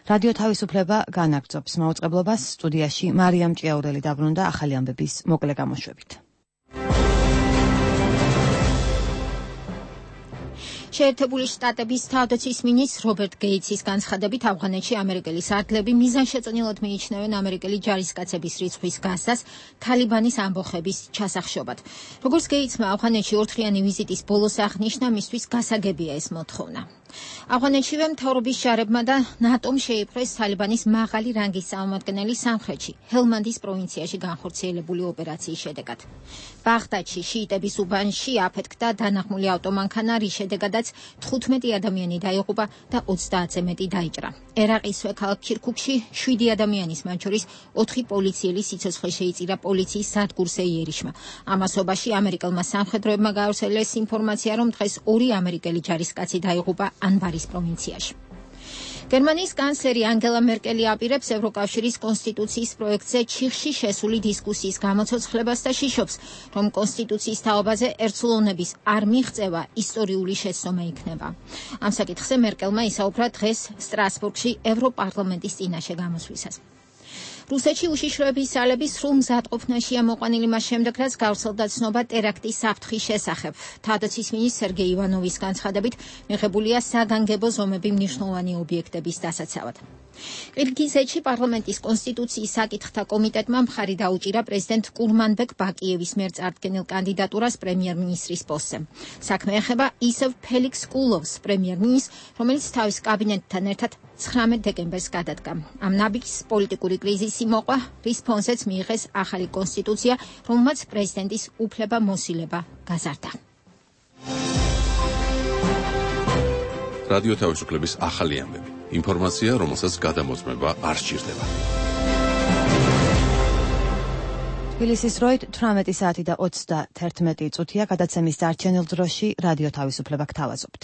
რადიო თავისუფლება განაგრძობს მაუწყებლობას, სტუდიაში მარიამ ჭიაურელი დაბრუნდა ახალი ამბების მოკლე გამოშვებით. შეერთებული შტატების თავდაცვის მინისტრ რობერტ გეიცის განცხადებით, ავღანეთში ამერიკელი სარდლები მიზანშეწონილად მიიჩნევენ ამერიკელი ჯარისკაცების რიცხვის გასცას თალიბანის ამბოხების ჩასახშობად. როგორც გეიცმა ავღანეთში ორთხრიანი ვიზიტის ბოლოს აღნიშნა, მისთვის გასაგებია ეს მოთხოვნა. ავღანეთშივე მთავრობის ჯარებმა და ნატომ შეიპყრეს თალიბანის მაღალი რანგის წარმომადგენელი სამხრეთში, ჰელმანდის პროვინციაში განხორციელებული ოპერაციის შედეგად. ბაღდადში, შიიტების უბანში აფეთქდა დანახმული ავტომანქანა, რის შედეგადაც თხუთმეტი ადამიანი დაიღუპა და ოცდაათზე მეტი დაიჭრა. ერაყის ქალაქ ქირქუქში შვიდი ადამიანის, მათ შორის ოთხი პოლიციელი სიცოცხლე შეიწირა პოლიციის სადგურ სეიერიშმა. ამასობაში ამერიკელმა სამხედროებმა გაავრცელეს ინფორმაცია, რომ დღეს ორი ამერიკელი ჯარისკაცი დაიღუპა ანბარის პროვინციაში. გერმანიის კანცლერი ანგელა მერკელი აპირებს ევროკავშირის კონსტიტუციის პროექტზე ჩიხში შესული დისკუსიის გამოცოცხლებას და შიშობს, რომ კონსტიტუციის თაობაზე ერთსულოვნების არ მიღწევა ისტორიული შეცდომა იქნება. ამ საკითხზე მერკელმა ისაუბრა დღეს სტრასბურგში ევროპარლამენტის წინაშე გამოსვლისას. რუსეთში უშიშროების ძალების სრულ მზადყოფნაშია მოყვანილი მას შემდეგ, რაც გავრცელდა ცნობა ტერაქტის საფრთხის შესახებ. თავდაცვის მინისტრ სერგეი ივანოვის განცხადებით, მიღებულია საგანგებო ზომები მნიშვნელოვანი ობიექტების დასაცავად. ყირგიზეთში პარლამენტის კონსტიტუციის საკითხთა კომიტეტმა მხარი დაუჭირა პრეზიდენტ კურმანბეკ ბაკიევის მიერ წარდგენილ კანდიდატურას პრემიერ-მინისტრის პოსტზე. საქმე ეხება ისევ ფელიქს კულოვს, პრემიერ-მინისტრს, რომელიც თავის კაბინეტთან ერთად ცხრამეტ დეკემბერს გადადგა. ამ ნაბიჯს პოლიტიკური კრიზისი მოყვა, რის ფონზეც მიიღეს ახალი კონსტიტუცია, რომელმაც პრეზიდენტის უფლება მოსილება გაზარდა. რადიო თავისუფლების ახალი ამბები. ინფორმაცია, რომელსაც გადამოწმება არ სჭირდება. თბილისის დროით თვრამეტი საათი და ოცდაერთმეტი წუთია, გადაცემის დარჩენილ დროში რადიო თავისუფლება გთავაზობთ.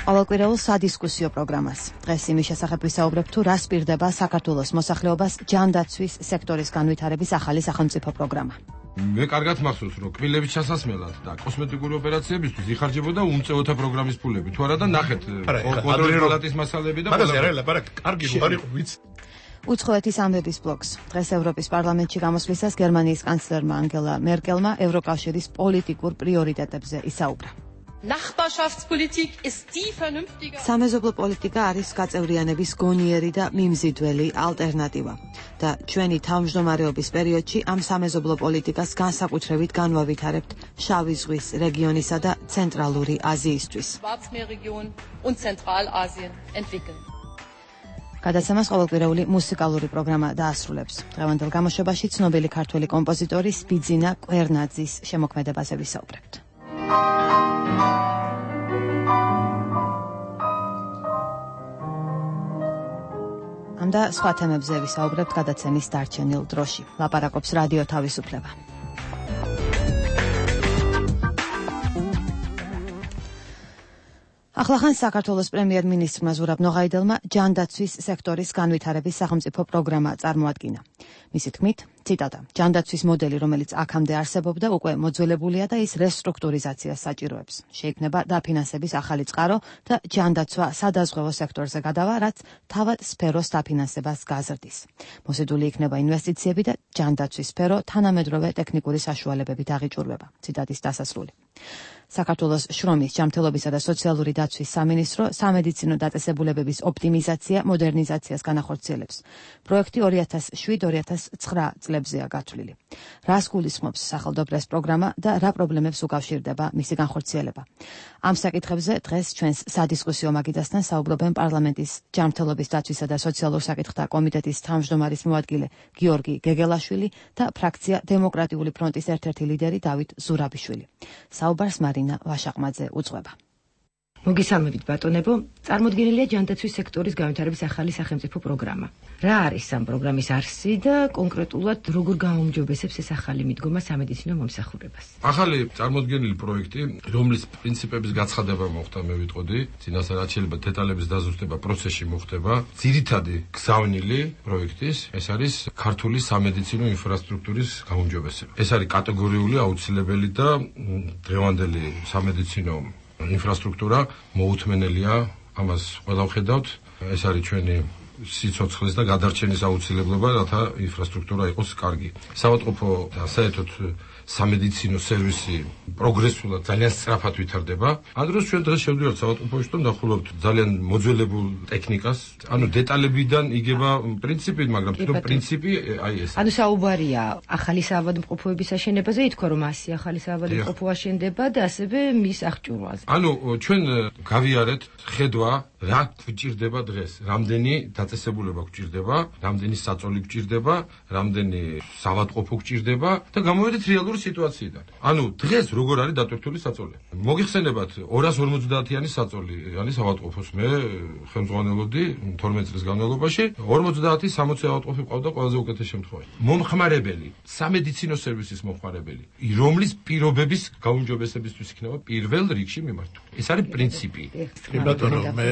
ყოველკვირეულ სადისკუსიო პროგრამას. დღეს იმის შესახებ ვისაუბრებ, თუ რას პირდება საქართველოს მოსახლეობას ჯანდაცვის სექტორის განვითარების ახალი სახელმწიფო პროგრამა. მე კარგად მახსოვს, რომ კბილების ჩასასმელად და კოსმეტიკური ოპერაციებისთვის იხარჯებოდა უმწეოთა პროგრამის ფულები. თუ არა და ნახეთ კონტროლის პალატის მასალები და მაგას არა, ლაპარაკ კარგი არ იყო ვიცი. უცხოეთის ამბების ბლოგს. დღეს ევროპის პარლამენტში გამოსვლისას გერმანიის კანცლერმა ანგელა მერკელმა ევროკავშირის პოლიტიკურ პრიორიტეტებზე ისაუბრა. Nachbarschaftspolitik ist die vernünftige. სამეზობლო პოლიტიკა არის გაწევრიანების გონიერი და მიმზიდველი ალტერნატივა და ჩვენი თავმჯდომარეობის პერიოდში ამ სამეზობლო პოლიტიკას განსაკუთრებით განვავითარებთ შავი ზღვის რეგიონისა და ცენტრალური აზიისთვის. Schwarzmeerregion und Zentralasien entwickeln. გადაცემას ყოველკვირეული მუსიკალური პროგრამა დაასრულებს. დღევანდელ გამოშვებაში ცნობილი ქართველი კომპოზიტორი სპიძინა კვერნაძის შემოქმედებაზე ვისაუბრებთ. ამ და სხვა თემებზე ვისაუბრებთ გადაცემის დარჩენილ დროში. ლაპარაკობს რადიო თავისუფლება. ახლახან საქართველოს პრემიერ-მინისტრმა ზურაბ ნოღაიდელმა ჯანდაცვის სექტორის განვითარების სახელმწიფო პროგრამა წარმოადგინა. მისი თქმით, ციტატა, ჯანდაცვის მოდელი, რომელიც აქამდე არსებობდა, უკვე მოძველებულია და ის რესტრუქტურიზაციას საჭიროებს. შეიქმნება დაფინანსების ახალი წყარო და ჯანდაცვა სადაზღვევო სექტორზე გადავა, რაც თავად სფეროს დაფინანსებას გაზრდის. მოსიდული იქნება ინვესტიციები და ჯანდაცვის სფერო თანამედროვე ტექნიკური საშუალებებით აღიჭურვება. ციტატის დასასრული. საქართველოს შრომის, ჯანმრთელობისა და სოციალური დაცვის სამინისტრო სამედიცინო დაწესებულებების ოპტიმიზაცია, მოდერნიზაციას განახორციელებს. პროექტი ორი ათას შვიდ ორი ათას ცხრა წლებზეა გათვლილი. რას გულისხმობს სახელმწიფოს პროგრამა და რა პრობლემებს უკავშირდება მისი განხორციელება. ამ საკითხებზე დღეს ჩვენს სადისკუსიო მაგიდასთან საუბრობენ პარლამენტის ჯანმრთელობის დაცვისა და სოციალურ საკითხთა კომიტეტის თავმჯდომარის მოადგილე გიორგი გეგელაშვილი და ფრაქცია დემოკრატიული ფრონტის ერთ-ერთი ლიდერი დავით ზურაბიშვილი. საუბარს მარინა ვაშაყმაძე უძღვება. მოგესალმებით ბატონებო, წარმოდგენილია ჯანდაცვის სექტორის განვითარების ახალი სახელმწიფო პროგრამა. რა არის ამ პროგრამის არსი და კონკრეტულად როგორ გააუმჯობესებს ეს ახალი მიდგომა სამედიცინო მომსახურებას? ახალი წარმოდგენილი პროექტი, რომლის პრინციპების გაცხადება მოხდა, მე ვიტყოდი, წინასწარ რაც შეიძლება დეტალების დაზუსტება პროცესში მოხდება. ძირითადი გზავნილი პროექტის ეს არის ქართული სამედიცინო ინფრასტრუქტურის გაუმჯობესება. ეს არის კატეგორიული, აუცილებელი და დღევანდელი სამედიცინო ინფრასტრუქტურა მოუთმენელია, ამას ყველა ვხედავთ. ეს არის ჩვენი სიცოცხლის და გადარჩენის აუცილებლობა, რათა ინფრასტრუქტურა იყოს კარგი. საავადმყოფო და საერთოდ სამედიცინო სერვისი პროგრესულად ძალიან სწრაფად ვითარდება. ამ დროს ჩვენ დღეს შევდივართ საავადმყოფოში და ნახულობთ ძალიან მოძველებულ ტექნიკას. ანუ დეტალებიდან იგება პრინციპი, მაგრამ თვითონ პრინციპი აი ეს. ანუ საუბარია ახალი საავადმყოფოების აშენებაზე, ითქვა რომ ასი ახალი საავადმყოფო აშენდება და ასევე მის აღჭურვაზე. ანუ ჩვენ გავიარეთ ხედვა რა გვჭირდება დღეს, რამდენი დაწესებულება გვჭირდება, რამდენი საწოლი გვჭირდება, რამდენი საავადმყოფო გვჭირდება და გამოვედით რეალური სიტუაციიდან. ანუ დღეს როგორ არის დატვირთული საწოლი? მოგიხსენებათ ორას ორმოცდაათიანი საწოლი არის საავადმყოფოს. მე ხელმძღვანელობდი თორმეტ წლის განმავლობაში ორმოცდაათი სამოცი ავადმყოფი ყავდა ყველაზე უკეთეს შემთხვევაში. მომხმარებელი, სამედიცინო სერვისის მომხმარებელი, რომლის პირობების გაუმჯობესებისთვის იქნება პირველ რიგში მიმართული. ეს არის პრინციპი. ბატონო, მე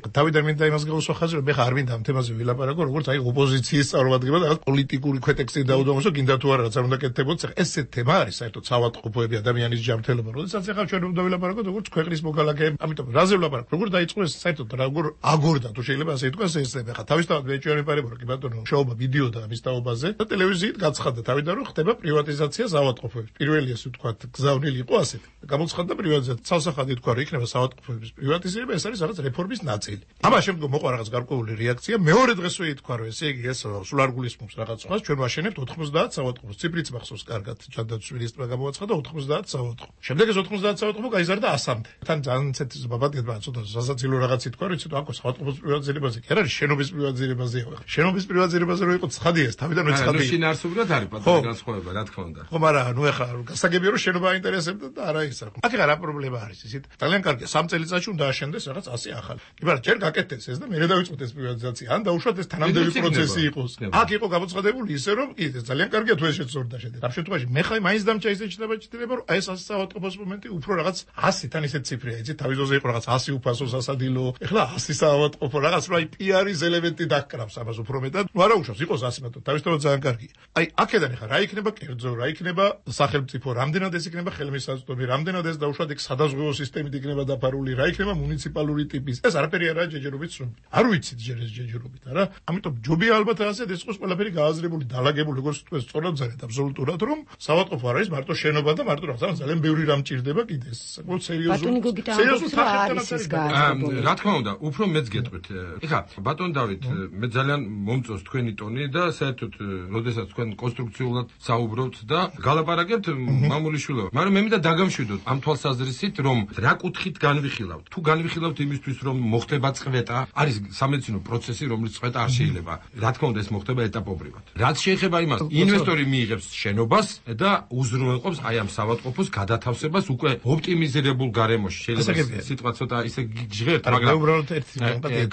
თავიდან მინდა იმას გავუსახაზრო, მე ხარ მინდა ამ თემაზე ვილაპარაკო, როგორც აი ოპოზიციის წარმომადგენლად, რაღაც პოლიტიკური ქვეტექსტი დაუდომოსო, გინდა თუ არა რაც არ უნდა კეთდებოდეს. ესე თემა არის საერთოდ საავადმყოფოები, ადამიანის ჯანმრთელობა. როდესაც ახლა ჩვენ უნდა ვილაპარაკოთ, როგორც ქვეყნის მოქალაქეები, ამიტომ რაზე ვილაპარაკოთ, როგორ დაიწყო ეს საერთოდ როგორ აგორდა, თუ შეიძლება ასე ითქვას ეს თემა. ხა თავისთავად მე ჩვენ ვიპარებო, კი ბატონო, შოუმა ვიდეო და ამის თაობაზე და ტელევიზიით გაცხადდა თავიდან რომ ხდება პრივატიზაცია საავადმყოფოების. პირველი ესე ვთქვათ, გზავნილი იყო ასეთ. გამოცხადდა პრივატიზაცია. ცალსახადი თქვა რომ იქნება საავადმყოფოების პრივატიზება, ეს არის რაღაც რეფორმის ნაწილი. ამას შემდგომ მოყვა რაღაც გარკვეული რეაქცია. მეორე დღესვე ითქვა რომ ესე იგი ეს სულ არ გულისხმობს რაღაც სხვას, ჩვენ ვაშენებთ ოთხმოცდაათ საავადმყოფოს. ციფრიც მახსოვს კარგად, ჯანდაცვის მინისტრმა გამოაცხადა ოთხმოცდაათ საავადმყოფო. შემდეგ ეს ოთხმოცდაათ საავადმყოფო გაიზარდა ასამდე. თან ძალიან ცეცხლის ბაბადეთმა ცოტა სასაცილო რაღაც ითქვა, რომ იცით აქ საავადმყოფოს პრივატიზებაზე კი არ არის, შენობის პრივატიზებაზეა. შენობის პრივატიზებაზე რო იყო ცხადია ეს, თავიდან რო ცხადია. ანუ შინაარსობრივად არის პატარა განსხვავება, რა თქმა უნდა. ხო, მაგრამ ნუ ეხლა გასაგებია რომ შენობა აინტერესებდა და არა ის. აქ რა პრობლემა არის ისეთ? ძალიან კარგია, სამ წელიწადში უნდა აშენდეს რაღაც ასი ახალი. კი მაგრამ ჯერ გაკეთდეს ეს და მერე დავიწყოთ ეს პრივატიზაცია. ან დაუშვათ ეს თანამდები პროცესი იყოს. აქ იყო გამოცხადებული ისე რომ კი ეს ძალიან კარგია თუ ეს შეცდორდა შედეგი. ამ შემთხვევაში მე ხაი მაინც დამჭა ისე ჩდება რომ აი ეს ასი საავადმყოფოს მომენტი უფრო რაღაც ასი თან ისეთ ციფრია, იცით, თავის ძოზე იყო რაღაც ასი უფასო სასადილო. ეხლა ასი საავადმყოფო რაღაც რა პიარის ელემენტი დაკრავს ამას უფრო მეტად. ნუ არა უშავს იყოს ასი მათო, თავისთავად ძალიან კარგია. აი აქედან ეხლა რა იქნება კერძო, რა იქნება სახელმწიფო, რამდენად ეს იქნება ხელმისაწვდომი, რამდენად ეს დაუშვათ იქ სადაზღვევო სისტემით იქნება დაფარული, რა იქნება მუნიციპალური ტიპის. ეს არაფერი არაა ჯეჯერობით სრული. არ ვიცით ჯერ ეს ჯეჯერობით, არა? ამიტომ ჯობია ალბათ ასეთ ეს იყოს ყველაფერი გააზრებული, დალაგებული, როგორც თქვენ სწორად ზარეთ აბსოლუტურად, რომ საავადმყოფო არ არის მარტო შენობა და მარტო რაღაცა ძალიან ბევრი რამ ჭირდება კიდე. საკმაოდ სერიოზული. სერიოზული თანხმობა. რა თქმა უნდა, უფრო მეც გეტყვით. ეხლა ბატონ დავით, მე ძალიან მომწონს თქვენი ტონი და საერთოდ, როდესაც თქვენ კონსტრუქციულად საუბრობთ და გალაპარაკებთ მამული შვილობა. მაგრამ მე მინდა დაგამშვიდოთ ამ თვალსაზრისით, რომ რა კუთხით განვიხილავთ. თუ განვიხილავთ იმისთვის, რომ მოხდება წვეტა, არის სამედიცინო პროცესი, რომელიც წვეტა არ შეიძლება. რა თქმა უნდა, ეს მოხდება ეტაპობრივად. რაც შეეხება იმას, ინვესტორი მიიღებს შენობას და უზრუნველყოფს აი ამ საავადმყოფოს გადათავსებას უკვე ოპტიმიზირებულ გარემოში. შეიძლება სიტყვა ცოტა ისე ჟღერთ, მაგრამ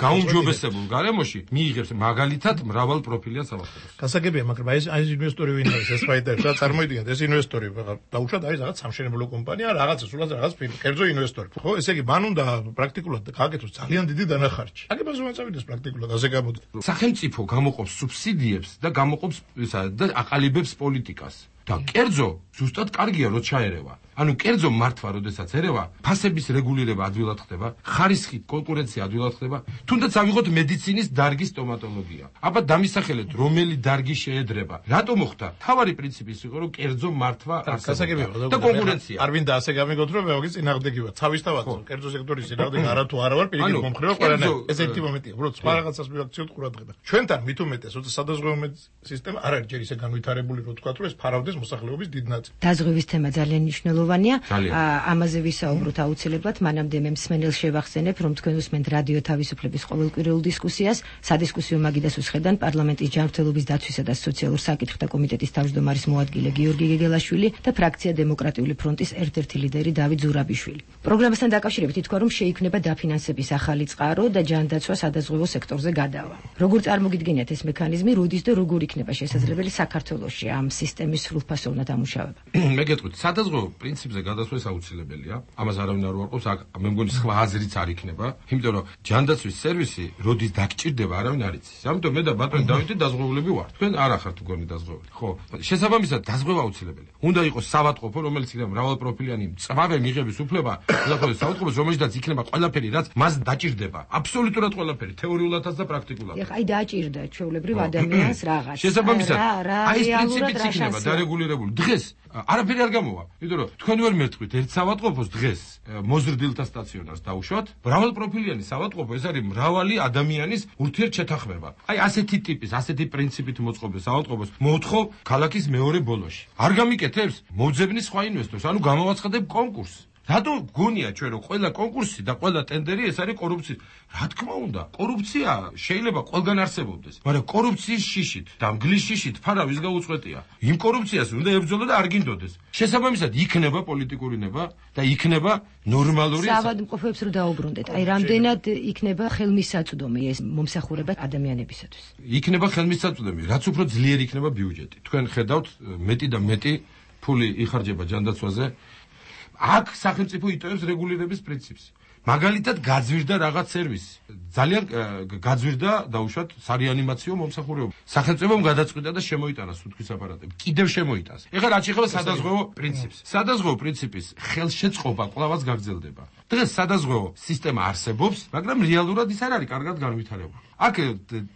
გაუმჯობესებულ გარემოში მიიღებს მაგალითად მრავალ პროფილიან საავადმყოფოს. გასაგებია, მაგრამ აი ეს ინვესტორი ვინ არის? ეს ფაიტერი, რა წარმოიდგინეთ, ეს ინვესტორი დაუშვათ არის რაღაც სამშენებლო კომპანია, რაღაცა სულაც რაღაც კერძო ინვესტორი. ხო, ესე იგი, მან უნდა პრაქტიკულად გააკეთოს ძალიან დიდი დანახარჯი. აგებას რომ აწევიდეს პრაქტიკულად ასე გამოდის. სახელმწიფო გამოყოფს სუბსიდიებს და გამოყოფს ისა და აყალიბებს პოლიტიკას. და კერძო ზუსტად კარგია რო ჩაერევა. ანუ კერძო მართვა, როდესაც ერევა, ფასების რეგულირება ადვილად ხდება, ხარისხი კონკურენცია ადვილად ხდება. თუნდაც ავიღოთ მედიცინის დარგის სტომატოლოგია. აბა დამისახელეთ, რომელი დარგი შეედრება. რატო მოხდა? თავარი პრინციპი ის იყო, რომ კერძო მართვა არსებობდა და კონკურენცია. არ მინდა ასე გამიგოთ, რომ მე ვაგის წინააღმდეგი ვარ. თავისთავად კერძო სექტორის წინააღმდეგი არა თუ არა ვარ, პირიქით მომხრეო ყველანაირ. ეს ერთი მომენტია, უბრალოდ სხვა რაღაცას მივაქციოთ ყურადღება. ჩვენთან მით უმეტეს, როცა სადაზღვევო სისტემა არ არის ჯერ ისე განვითარებული, რომ თქვა, რომ ეს ფარავდეს მოსახლეობის დიდ ნაწილს. დაზღვევის თემა ძალიან მნიშვნელოვანია. ამაზე ვისაუბროთ აუცილებლად, მანამდე მე მსმენელს შევახსენებ, რომ თქვენ უსმენთ რადიო თავისუფლების ყოველკვირეულ დისკუსიას, სადისკუსიო მაგიდას უსხედან პარლამენტის ჯანმრთელობის დაცვისა და სოციალურ საკითხთა კომიტეტის თავმჯდომარის მოადგილე გიორგი გეგელაშვილი და ფრაქცია დემოკრატიული ფრონტის ერთ-ერთი ლიდერი დავით ზურაბიშვილი. პროგრამასთან დაკავშირებით ითქვა, რომ შეიქმნება დაფინანსების ახალი წყარო და ჯანდაცვა სადაზღვევო სექტორზე გადავა. როგორ წარმოგიდგენიათ ეს მექანიზმი, როდის და როგორ იქნება შესაძლებელი საქართველოში ამ სისტემის სრულფასოვნად ამუშავება? მე გეტყვით, სადაზღვევო პრინციპზე გადასვლას აუცილებელია. ამას არავინ არ უარყოფს, აქ მე მგონი სხვა აზრიც არ იქნება, იმიტომ რომ ჯანდაცვის სერვისი როდის დაგჭირდება, არავინ არ იცის. ამიტომ მე და ბატონი დავითი დაზღვეულები ვართ. თქვენ არ ახართ მგონი დაზღვეული. ხო, შესაბამისად დაზღვევა აუცილებელია. უნდა იყოს საავადმყოფო, რომელიც იქნება მრავალპროფილიანი მწვავე მიღების უფლება, უზრუნველყოფს საავადმყოფოს, რომელშიც იქნება ყველაფერი, რაც მას დაჭირდება. აბსოლუტურად ყველაფერი, თეორიულადაც და პრაქტიკულადაც. ეხა აი დაჭირდა ჩვეულებრივ ადამიანს რაღაც. შესაბამისად, აი ეს პრინციპიც იქნება დარეგულირებული. რეგულირებული. დღეს არაფერი არ გამოვა. იმიტომ რომ თქვენ ვერ მერტყვით ერთ საავადმყოფოს დღეს მოზრდილთა სტაციონარს დაუშვათ. მრავალპროფილიანი საავადმყოფო, ეს არის მრავალი ადამიანის ურთიერთშეთანხმება. აი ასეთი ტიპის, ასეთი პრინციპით მოწყობილ საავადმყოფოს მოთხოვ ქალაქის მეორე ბოლოში. არ გამიკეთებს, მოძებნის სხვა ინვესტორს, ანუ გამოვაცხადებ კონკურსს. რატო გონია ჩვენ რომ ყველა კონკურსი და ყველა ტენდერი ეს არის კორუფციის? რა თქმა უნდა, კორუფცია შეიძლება ყველგან არსებობდეს, მაგრამ კორუფციის შიშით და მგლის შიშით ფარავის გაუწყვეტია. იმ კორუფციას უნდა ებრძოლო და არ გინდოდეს. შესაბამისად იქნება პოლიტიკური ნება და იქნება ნორმალური საავადმყოფოებს რო დაუბრუნდეთ. აი რამდენად იქნება ხელმისაწვდომი ეს მომსახურება ადამიანებისათვის? იქნება ხელმისაწვდომი, რაც უფრო ძლიერი იქნება ბიუჯეტი. თქვენ ხედავთ მეტი და მეტი ფული იხარჯება ჯანდაცვაზე. აქ სახელმწიფო იტოვებს რეგულირების პრინციპს. მაგალითად გაძვირდა რაღაც სერვისი. ძალიან გაძვირდა დაუშვათ სარეანიმაციო მომსახურება. სახელმწიფომ გადაწყვიტა და შემოიტანა სუნთქვის აპარატები. კიდევ შემოიტანს. ეხლა რაც ეხება სადაზღვევო პრინციპს. სადაზღვევო პრინციპის ხელშეწყობა კვლავაც გაგრძელდება. დღეს სადაზღვევო სისტემა არსებობს, მაგრამ რეალურად ის არ არის კარგად განვითარებული. აქ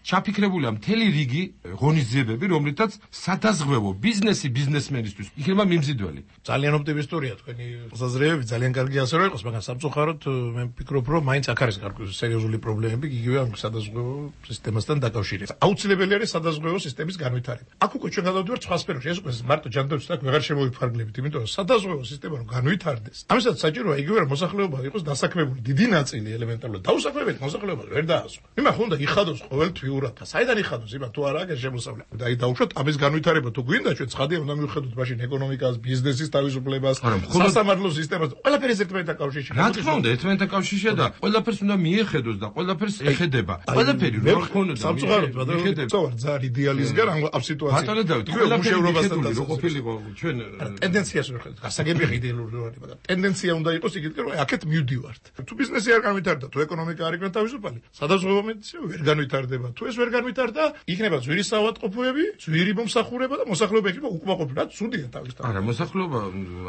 ჩაფიქრებულია მთელი რიგი ღონისძიებები, რომლითაც სადაზღვევო ბიზნესი ბიზნესმენისთვის იქნება მიმზიდველი. ძალიან ოპტიმისტურია თქვენი საზრეები, ძალიან კარგი ასე რომ იყოს, მაგრამ სამწუხაროდ მე ვფიქრობ, რომ მაინც აქ არის სერიოზული პრობლემები იგივე ამ სადაზღვევო სისტემასთან დაკავშირებით. აუცილებელი არის სადაზღვევო სისტემის განვითარება. აქ უკვე ჩვენ გადავდივართ სხვა სფეროში, ეს უკვე მარტო ჯანდაცვის აქ ვეღარ შემოვიფარგლებით, იმიტომ რომ სადაზღვევო სისტემა რომ განვითარდეს, ამისათვის საჭიროა იგივე რომ მოსახლეობა იყოს დასაქმებული, დიდი ნაწილი ელემენტარულად დაუსაქმებელი მოსახლეობა ვერ დაასვა. იმან ხონდა იხადოს ყოველთვიურად. საიდან იხადოს? იმან თუ არა აქვს შემოსავლე. და აი დაუშვათ ამის განვითარება თუ გვინდა ჩვენ ცხადია უნდა მივხედოთ მაშინ ეკონომიკას, ბიზნესის თავისუფლებას, სასამართლო სისტემას, ყველაფერი ერთმანეთთან კავშირში. რა თქმა უნდა, ერთმანეთთან კავშირშია და ყველაფერს უნდა მიეხედოს და ყველაფერს ეხედება. ყველაფერი რო ხონოდა სამწუხაროდ მიეხედება. ძალიან იდეალიზგან ამ სიტუაციას. ბატონო დავით, მუშაობასთან და ყოფილიყო ჩვენ ტენდენციას ვერ ხედავთ. გასაგებია იდეალური რა არის, მაგრამ ტენდენცია უნდა იყოს იგივე რომ აქეთ მივდივართ. თუ ბიზნესი არ განვითარდა, თუ ეკონომიკა არ იქნება თავისუფალი, სადაზღვევო მედიცინა ვერ განვითარდება. თუ ეს ვერ განვითარდა, იქნება ძვირი საავადმყოფოები, ძვირი მომსახურება და მოსახლეობა იქნება უკმაყოფილი. რა ცუდია თავისთავად. არა, მოსახლეობა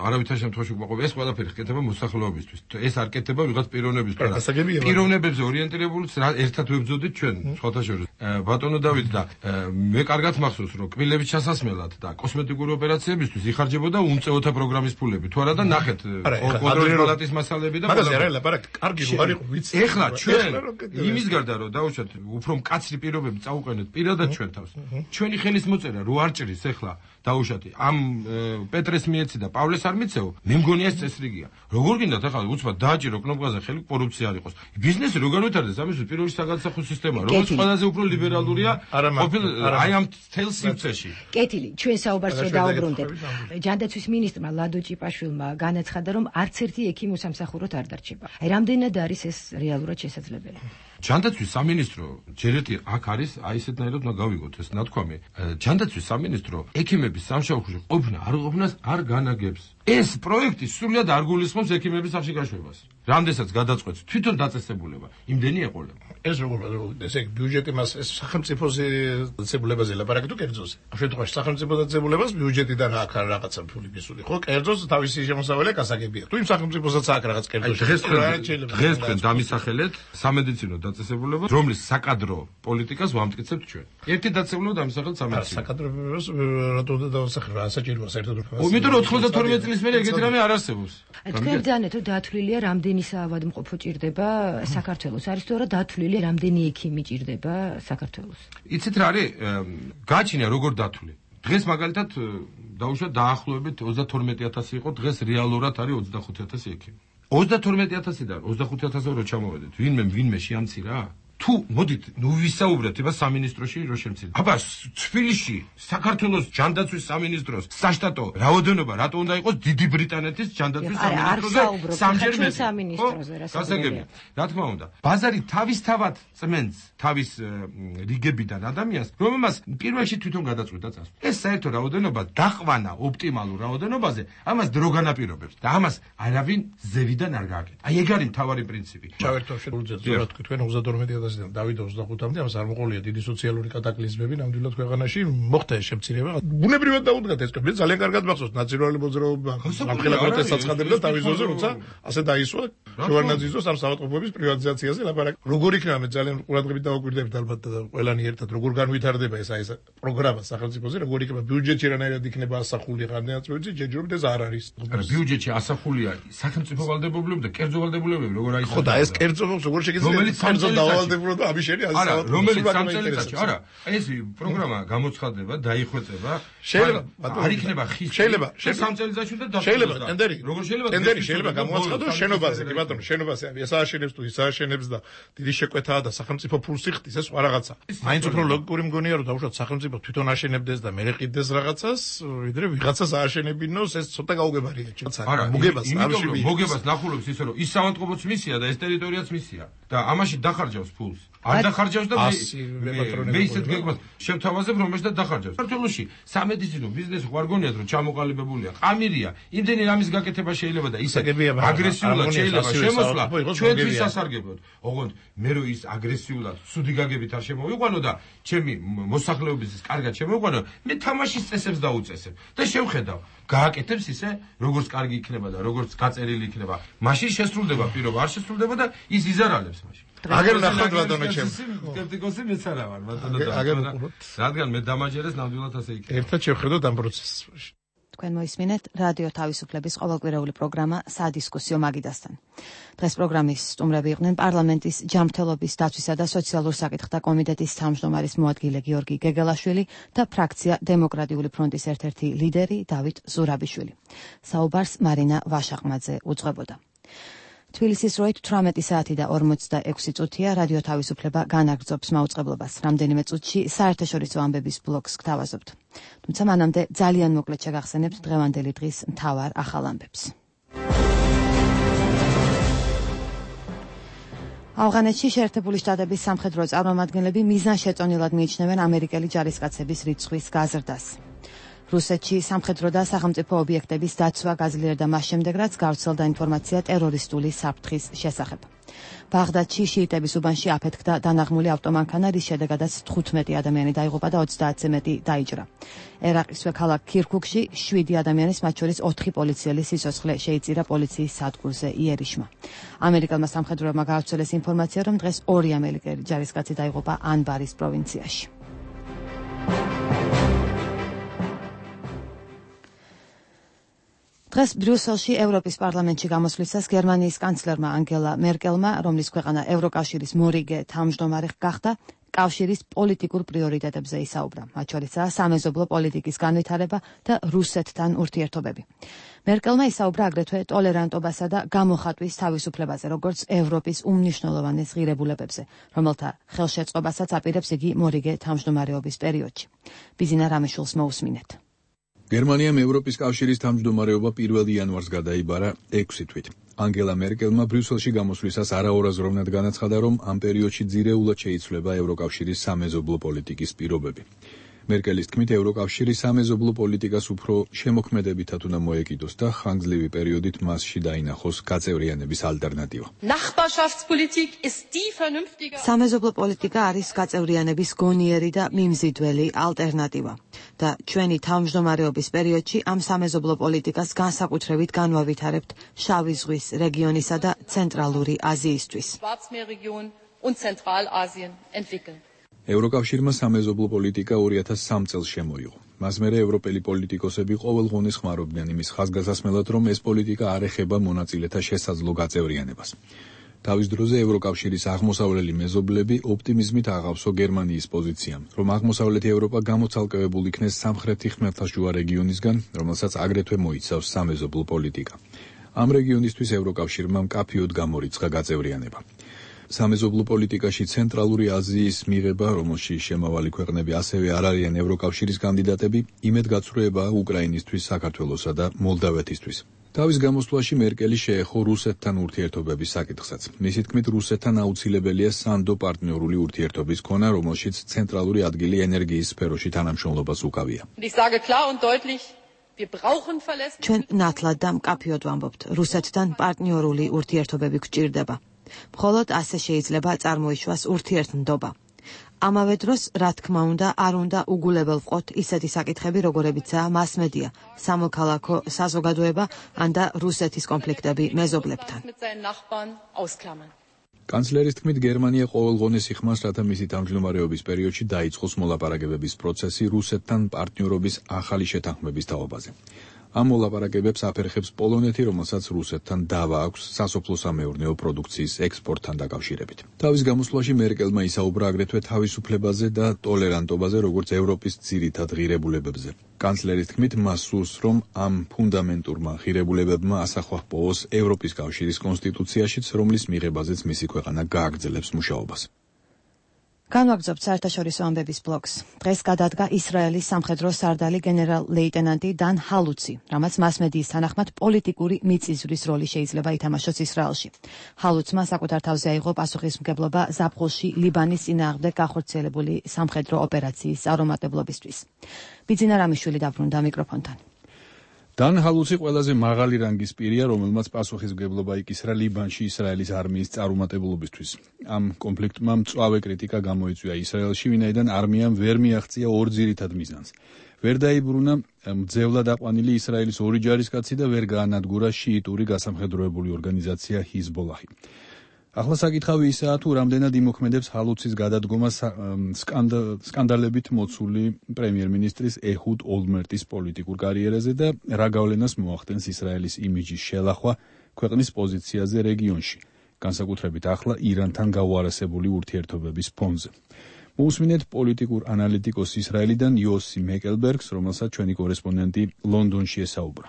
არავითარ შემთხვევაში უკმაყოფილი. ეს ყველაფერი ხდება მოსახლეობისთვის. ეს არ კეთდება ვიღაც პიროვნებისთვის. პიროვნებებზე ორიენტირებულიც ერთად ვებძოდით ჩვენ სხვათა შორის. ბატონო დავით და მე კარგად მახსოვს რომ კბილების ჩასასმელად და კოსმეტიკური ოპერაციებისთვის იხარჯებოდა უმწეოთა პროგრამის ფულები. თუ არა და ნახეთ კონტროლის პალატის მასალები და მაგაზე არა ლაპარაკი. კარგი რო არ იყო ვიცი. ეხლა ჩვენ იმის გარდა რომ დაუშვათ უფრო მკაცრი პირობები წაუყენეთ პირადად ჩვენ თავს. ჩვენი ხელის მოწერა რო არ ჭრის ეხლა დაუშვათი ამ პეტრეს მიეცი და პავლეს არ მიცეო, მე მგონია ეს წესრიგია. როგორ გინდათ ახლა უცბად დააჭირო კნოპკაზე ხელი კორუფცია არ იყოს. ბიზნესი რო განვითარდეს ამის პირველი საგადასახო სისტემა, რომელიც ყველაზე უფრო ლიბერალურია ყოფილ აი ამ თელ სივრცეში. კეთილი, ჩვენ საუბარს რო დაუბრუნდეთ. ჯანდაცვის მინისტრმა ლადო ჭიპაშვილმა განაცხადა, რომ არც ერთი ექიმი უსამსახუროდ არ დარჩება. აი რამდენად არის ეს რეალურად შესაძლებელი? ჯანდაცვის სამინისტრო ჯერ ერთი აქ არის, აი ესეთნაირად უნდა გავიგოთ ეს ნათქვამი. ჯანდაცვის სამინისტრო ექიმების სამშობლოში ყოფნა არ ყოფნას არ განაგებს. ეს პროექტი სრულად არ გულისხმობს ექიმების სახში გაშვებას. რამდენსაც გადაწყვეტს თვითონ დაწესებულება, იმდენი ეყოლება. ეს როგორ ესე ბიუჯეტი მას ეს სახელმწიფოზე დაწესებულებაზე ლაპარაკი თუ კერძოზე. ამ შემთხვევაში სახელმწიფო დაწესებულებას ბიუჯეტიდან აქ რაღაცა ფული მისული, ხო? კერძოზე თავისი შემოსავალი გასაგებია. თუ იმ სახელმწიფოსაც აქ რაღაც კერძოზე დღეს დღეს თქვენ დამისახელეთ სამედიცინო დაწესებულება, რომლის საკადრო პოლიტიკას ვამტკიცებთ ჩვენ. ერთი დაწესებულება დამისახელეთ სამედიცინო. საკადროებას რატო უნდა დავასახელო? რა საჭიროა საერთოდ? იმიტომ რომ ოცდათორმეტ წლის მერე ეგეთი რამე არ არსებობს. თქვენ ძანეთ რომ დათვლილია რამდენი საავადმყოფო ჭირდება საქართველოს? არის თუ არა დათვლილი რამდენი ექიმი ჭირდება საქართველოს? იცით რა არის? გააჩნია როგორ დათვლი. დღეს მაგალითად დაუშვათ დაახლოებით ოცდათორმეტი ათასი იყო, დღეს რეალურად არის ოცდახუთი ათასი ექიმი. ოცდათორმეტი ათასიდან ოცდახუთი ათასზე რო ჩამოვედეთ, ვინმე ვინმე შეამცირა? თუ მოდით ნუ ვისაუბრეთ ება სამინისტროში რო შემცირდა. აბა თბილისში საქართველოს ჯანდაცვის სამინისტროს საშტატო რაოდენობა რატო უნდა იყოს დიდი ბრიტანეთის ჯანდაცვის სამინისტროზე სამჯერ სამინისტროზე რა გასაგებია. რა თქმა უნდა, ბაზარი თავისთავად წმენს თავის რიგებიდან ადამიანს, რომელმაც პირველში თვითონ გადაწყვიტა წასვლა. ეს საერთო რაოდენობა დაყვანა ოპტიმალურ რაოდენობაზე, ამას დრო განაპირობებს და ამას არავინ ზევიდან არ გააკეთა. აი ეგ არის მთავარი პრინციპი. ჩავერთო შეუძლია ზოგადად თქვენ ოცდათორმეტი ათასიდან დავით ოცდახუთამდე ამას არ მოყოლია დიდი სოციალური კატაკლიზმები ნამდვილად ქვეყანაში მოხდა ეს შემცირება. ბუნებრივად დაუდგათ ეს კები ძალიან კარგად მახსოვს ნაციონალური მოძრაობა ამხელა პროტესტს აცხადებდა თავის ძოზე, როცა ასე დაისვა შევარნაძის ამ საავადმყოფოების პრივატიზაციაზე ლაპარაკი. როგორ იქნება მე ძალიან ყურადღებით დავაკვირდებით ალბათ და ყველანი ერთად როგორ განვითარდება ეს აი ეს პროგრამა სახელმწიფოზე, როგორ იქნება ბიუჯეტი რანაირად იქნება ასახული ღარდანაწყვეტი, ჯერჯერობით ეს არ არის. ბიუჯეტი ასახულია სახელმწიფო ვალდებულები და კერძო ვალდებულები როგორ აი ხო და ეს კერძო როგორ შეგიძლია კერძო დავალდებულება და ამის შენი არა რომელიც სამწელიწადში არა ეს პროგრამა გამოცხადდება დაიხვეწება შეიძლება არ იქნება ხის შეიძლება სამწელიწადში და დასრულდება შეიძლება ტენდერი როგორ შეიძლება ტენდერი შეიძლება გამოაცხადოს შენობაზე კი ბატონო შენობაზე ეს ააშენებს თუ ის ააშენებს და დიდი შეკვეთაა და სახელმწიფო ფულს იხდის ეს სხვა რაღაცა მაინც უფრო ლოგიკური მგონია რომ დაუშვათ სახელმწიფო თვითონ ააშენებდეს და მე ყიდეს რაღაცას ვიდრე ვიღაცას ააშენებინოს ეს ცოტა გაუგებარია არა მოგებას ამაში მოგებას ნახულობს ისე რომ ის საავადმყოფოც მისია და ეს ტერიტორიაც მისია და ამაში დახარჯავს ფულს არ დახარჯავს და მე ისეთ გეგმას შევთავაზებ რომ ეს და დახარჯავს საქართველოში სამედიცინო ბიზნესი ხوار გონიათ რომ ჩამოყალიბებულია ყამირია იმდენი რამის გაკეთება შეიძლება და ისე აგრესიულად შეიძლება შემოსვლა ჩვენთვის სასარგებლოდ ოღონდ მე რო ის აგრესიულად სუდი გაგებით არ შემოვიყვანო და ჩემი მოსახლეობის კარგად შემოვიყვანო მე თამაშის წესებს დაუწესებ და შევხედავ გააკეთებს ისე როგორც კარგი იქნება და როგორც გაწერილი იქნება მაშინ შესრულდება პირობა არ შესრულდება და ის იზარალებს მაშინ აგერ ნახოთ ბატონო ჩემ სკეპტიკოსი მეც არა ვარ ბატონო და რადგან მე დამაჯერეს ნამდვილად ასე იქნება ერთად შევხედოთ ამ პროცესს თქვენ მოისმინეთ რადიო თავისუფლების ყოველკვირეული პროგრამა სადისკუსიო მაგიდასთან. დღეს პროგრამის სტუმრები იყვნენ პარლამენტის ჯანმრთელობის დაცვისა და სოციალურ საკითხთა კომიტეტის თავმჯდომარის მოადგილე გიორგი გეგელაშვილი და ფრაქცია დემოკრატიული ფრონტის ერთ-ერთი ლიდერი დავით ზურაბიშვილი. საუბარს მარინა ვაშაყმაძე უძღვებოდა. თბილისის როით თვრამეტი საათი და ორმოცდაექვსი წუთია რადიო თავისუფლება განაგრძობს მაუწყებლობას. რამდენიმე წუთში საერთაშორისო ამბების ბლოკს გთავაზობთ. თუმცა მანამდე ძალიან მოკლედ შეგახსენებთ დღევანდელი დღის მთავარ ახალ ამბებს. ავღანეთში შეერთებული შტატების სამხედრო წარმომადგენლები მიზანშეწონილად მიიჩნევენ ამერიკელი ჯარისკაცების რიცხვის გაზრდას. რუსეთში სამხედრო და სახელმწიფო ობიექტების დაცვა გაძლიერდა მას შემდეგ, რაც გავრცელდა ინფორმაცია ტერორისტული საფრთხის შესახებ. ბაღდადში შიიტების უბანში აფეთქდა დანაღმული ავტომანქანა, რის შედეგადაც თხუთმეტი ადამიანი დაიღუპა და ოცდაათზე მეტი დაიჭრა. ერაყის ქალაქ ქირქუქში შვიდი ადამიანის, მათ შორის ოთხი პოლიციელი სიცოცხლე შეიწირა პოლიციის სადგურზე იერიშმა. ამერიკელმა სამხედროებმა გაავრცელეს ინფორმაცია, რომ დღეს ორი ამერიკელი ჯარისკაცი დაიღუპა ანბარის პროვინციაში. დღეს ბრიუსელში ევროპის პარლამენტში გამოსვლისას გერმანიის კანცლერმა ანგელა მერკელმა, რომლის ქვეყანა ევროკავშირის მორიგე თავმჯდომარე გახდა, კავშირის პოლიტიკურ პრიორიტეტებზე ისაუბრა. მათ შორისაა სამეზობლო პოლიტიკის განვითარება და რუსეთთან ურთიერთობები. მერკელმა ისაუბრა აგრეთვე ტოლერანტობასა და გამოხატვის თავისუფლებაზე, როგორც ევროპის უმნიშვნელოვანეს ღირებულებებზე, რომელთა ხელშეწყობასაც აპირებს იგი მორიგე თავმჯდომარეობის პერიოდში. ბიზინა რამიშვილს მოусმინეთ. გერმანიამ ევროპის კავშირის თავმჯდომარეობა პირველი იანვარს გადაიბარა ექვსი თვით. ანგელა მერკელმა ბრიუსელში გამოსვლისას არაორაზროვნად განაცხადა, რომ ამ პერიოდში ძირეულად შეიცვლება ევროკავშირის სამეზობლო პოლიტიკის პირობები. მერკელის თქმით, ევროკავშირი სამეზობლო პოლიტიკას უფრო შემოქმედებითად უნდა მოეკიდოს და ხანგრძლივი პერიოდით მასში დაინახოს გაწევრიანების ალტერნატივა. სამეზობლო პოლიტიკა არის გაწევრიანების გონიერი და მიმზიდველი ალტერნატივა და ჩვენი თავმჯდომარეობის პერიოდში ამ სამეზობლო პოლიტიკას განსაკუთრებით განვავითარებთ შავი ზღვის რეგიონისა და ცენტრალური აზიისთვის. ევროკავშირმა სამეზობლო პოლიტიკა ორი ათას სამ წელს შემოიღო. მას მერე ევროპელი პოლიტიკოსები ყოველღონეს ხმარობდნენ იმის ხაზგასასმელად, რომ ეს პოლიტიკა არ ეხება მონაწილეთა შესაძლო გაწევრიანებას. თავის დროზე ევროკავშირის აღმოსავლელი მეზობლები ოპტიმიზმით აღავსო გერმანიის პოზიციამ, რომ აღმოსავლეთი ევროპა გამოცალკევებულ იქნეს სამხრეთი ხმელთაშუა რეგიონისგან, რომელსაც აგრეთვე მოიცავს სამეზობლო პოლიტიკა. ამ რეგიონისთვის ევროკავშირმა მკაფიოდ გამორიცხა გაწევრიანება. სამეზობლო პოლიტიკაში ცენტრალური აზიის მიღება, რომელშიც შემავალი ქვეყნები ასევე არ არიან ევროკავშირის კანდიდატები, იმედგაცრუებაა უკრაინისთვის, საქართველოსა და მოლდავეთისთვის. თავის გამოსვლაში მერკელი შეეხო რუსეთთან ურთიერთობების საკითხსაც. მისი თქმით, რუსეთთან აუცილებელია სანდო პარტნიორული ურთიერთობის ქონა, რომელშიც ცენტრალური ადგილი ენერგიის სფეროში თანამშრომლობას უკავია. ჩვენ ნათლად და მკაფიოდ ვამბობთ, რუსეთთან პარტნიორული ურთიერთობები გვჭირდება. მხოლოდ ასე შეიძლება წარმოიშვას ურთიერთნდობა. ამავე დროს, რა თქმა უნდა, არ უნდა უგულებელ ვყოთ ისეთი საკითხები, როგორებიცაა მასმედია, სამოქალაქო საზოგადოება ან და რუსეთის კონფლიქტები მეზობლებთან. კანცლერის თქმით, გერმანია ყოველგვარს იხმას, რათა მისი თავმჯდომარეობის პერიოდში დაიწყოს მოლაპარაკებების პროცესი რუსეთთან პარტნიორობის ახალი შეთანხმების თაობაზე. ამ მოლაპარაკებებს აფერხებს პოლონეთი, რომელსაც რუსეთთან დავა აქვს სასოფლო-სამეურნეო პროდუქციის ექსპორტთან დაკავშირებით. თავის გამოსვლაში მერკელმა ისაუბრა აგრეთვე თავისუფლებაზე და ტოლერანტობაზე, როგორც ევროპის ძირითად ღირებულებებზე. კანცლერის თქმით, მას სურს, რომ ამ ფუნდამენტურმა ღირებულებებმა ასახვა ჰპოვოს ევროპის კავშირის კონსტიტუციაშიც, რომლის მიღებაზეც მისი ქვეყანა გააგრძელებს მუშაობას. განვაგრძობთ საერთაშორისო ამბების ბლოკს. დღეს გადადგა ისრაელის სამხედრო სარდალი გენერალ-ლეიტენანტი დან ჰალუცი, რამაც მასმედიის თანახმად პოლიტიკური მიწისძვრის როლი შეიძლება ითამაშოს ისრაელში. ჰალუცმა საკუთარ თავზე აიღო პასუხისმგებლობა ზაფხულში ლიბანის წინააღმდეგ გახორციელებული სამხედრო ოპერაციის წარუმატებლობისთვის. ბიძინა რამიშვილი დაბრუნდა მიკროფონთან. დან ჰალუცი ყველაზე მაღალი რანგის პირია, რომელმაც პასუხისმგებლობა იკისრა ლიბანში ისრაელის არმიის წარუმატებლობისთვის. ამ კონფლიქტმა მწვავე კრიტიკა გამოიწვია ისრაელში, ვინაიდან არმიამ ვერ მიაღწია ორ ძირითად მიზანს. ვერ დაიბრუნა მძევლად აყვანილი ისრაელის ორი ჯარისკაცი და ვერ გაანადგურა შიიტური გასამხედროებული ორგანიზაცია ჰიზბოლაჰი. ახლა საკითხავი ისაა, თუ რამდენად იმოქმედებს ჰალუცის გადადგომა სკანდალებით მოცული პრემიერ-მინისტრის ეჰუდ ოლმერტის პოლიტიკურ კარიერაზე და რა გავლენას მოახდენს ისრაელის იმიჯის შელახვა ქვეყნის პოზიციაზე რეგიონში, განსაკუთრებით ახლა ირანთან გაუარესებული ურთიერთობების ფონზე. მოусმინეთ პოლიტიკურ ანალიტიკოს ისრაელიდან იოსი მეკელბერგს, რომელსაც ჩვენი კორესპონდენტი ლონდონში ესაუბრა.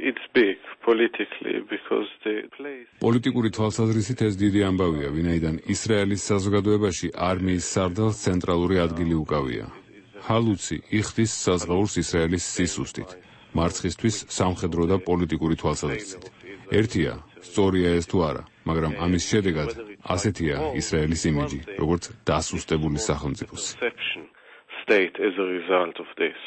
It's big politically because the place პოლიტიკური თვალსაზრისით ეს დიდი ამბავია, ვინაიდან ისრაელის საზოგადოებაში არმიის სარდალს ცენტრალური ადგილი უკავია. ჰალუცი იხდის საზღაურს ისრაელის სისუსტით, მარცხისთვის სამხედრო და პოლიტიკური თვალსაზრისით. ერთია, სწორია ეს თუ არა, მაგრამ ამის შედეგად ასეთია ისრაელის იმიჯი, როგორც დასუსტებული სახელმწიფოს. State as a result of this.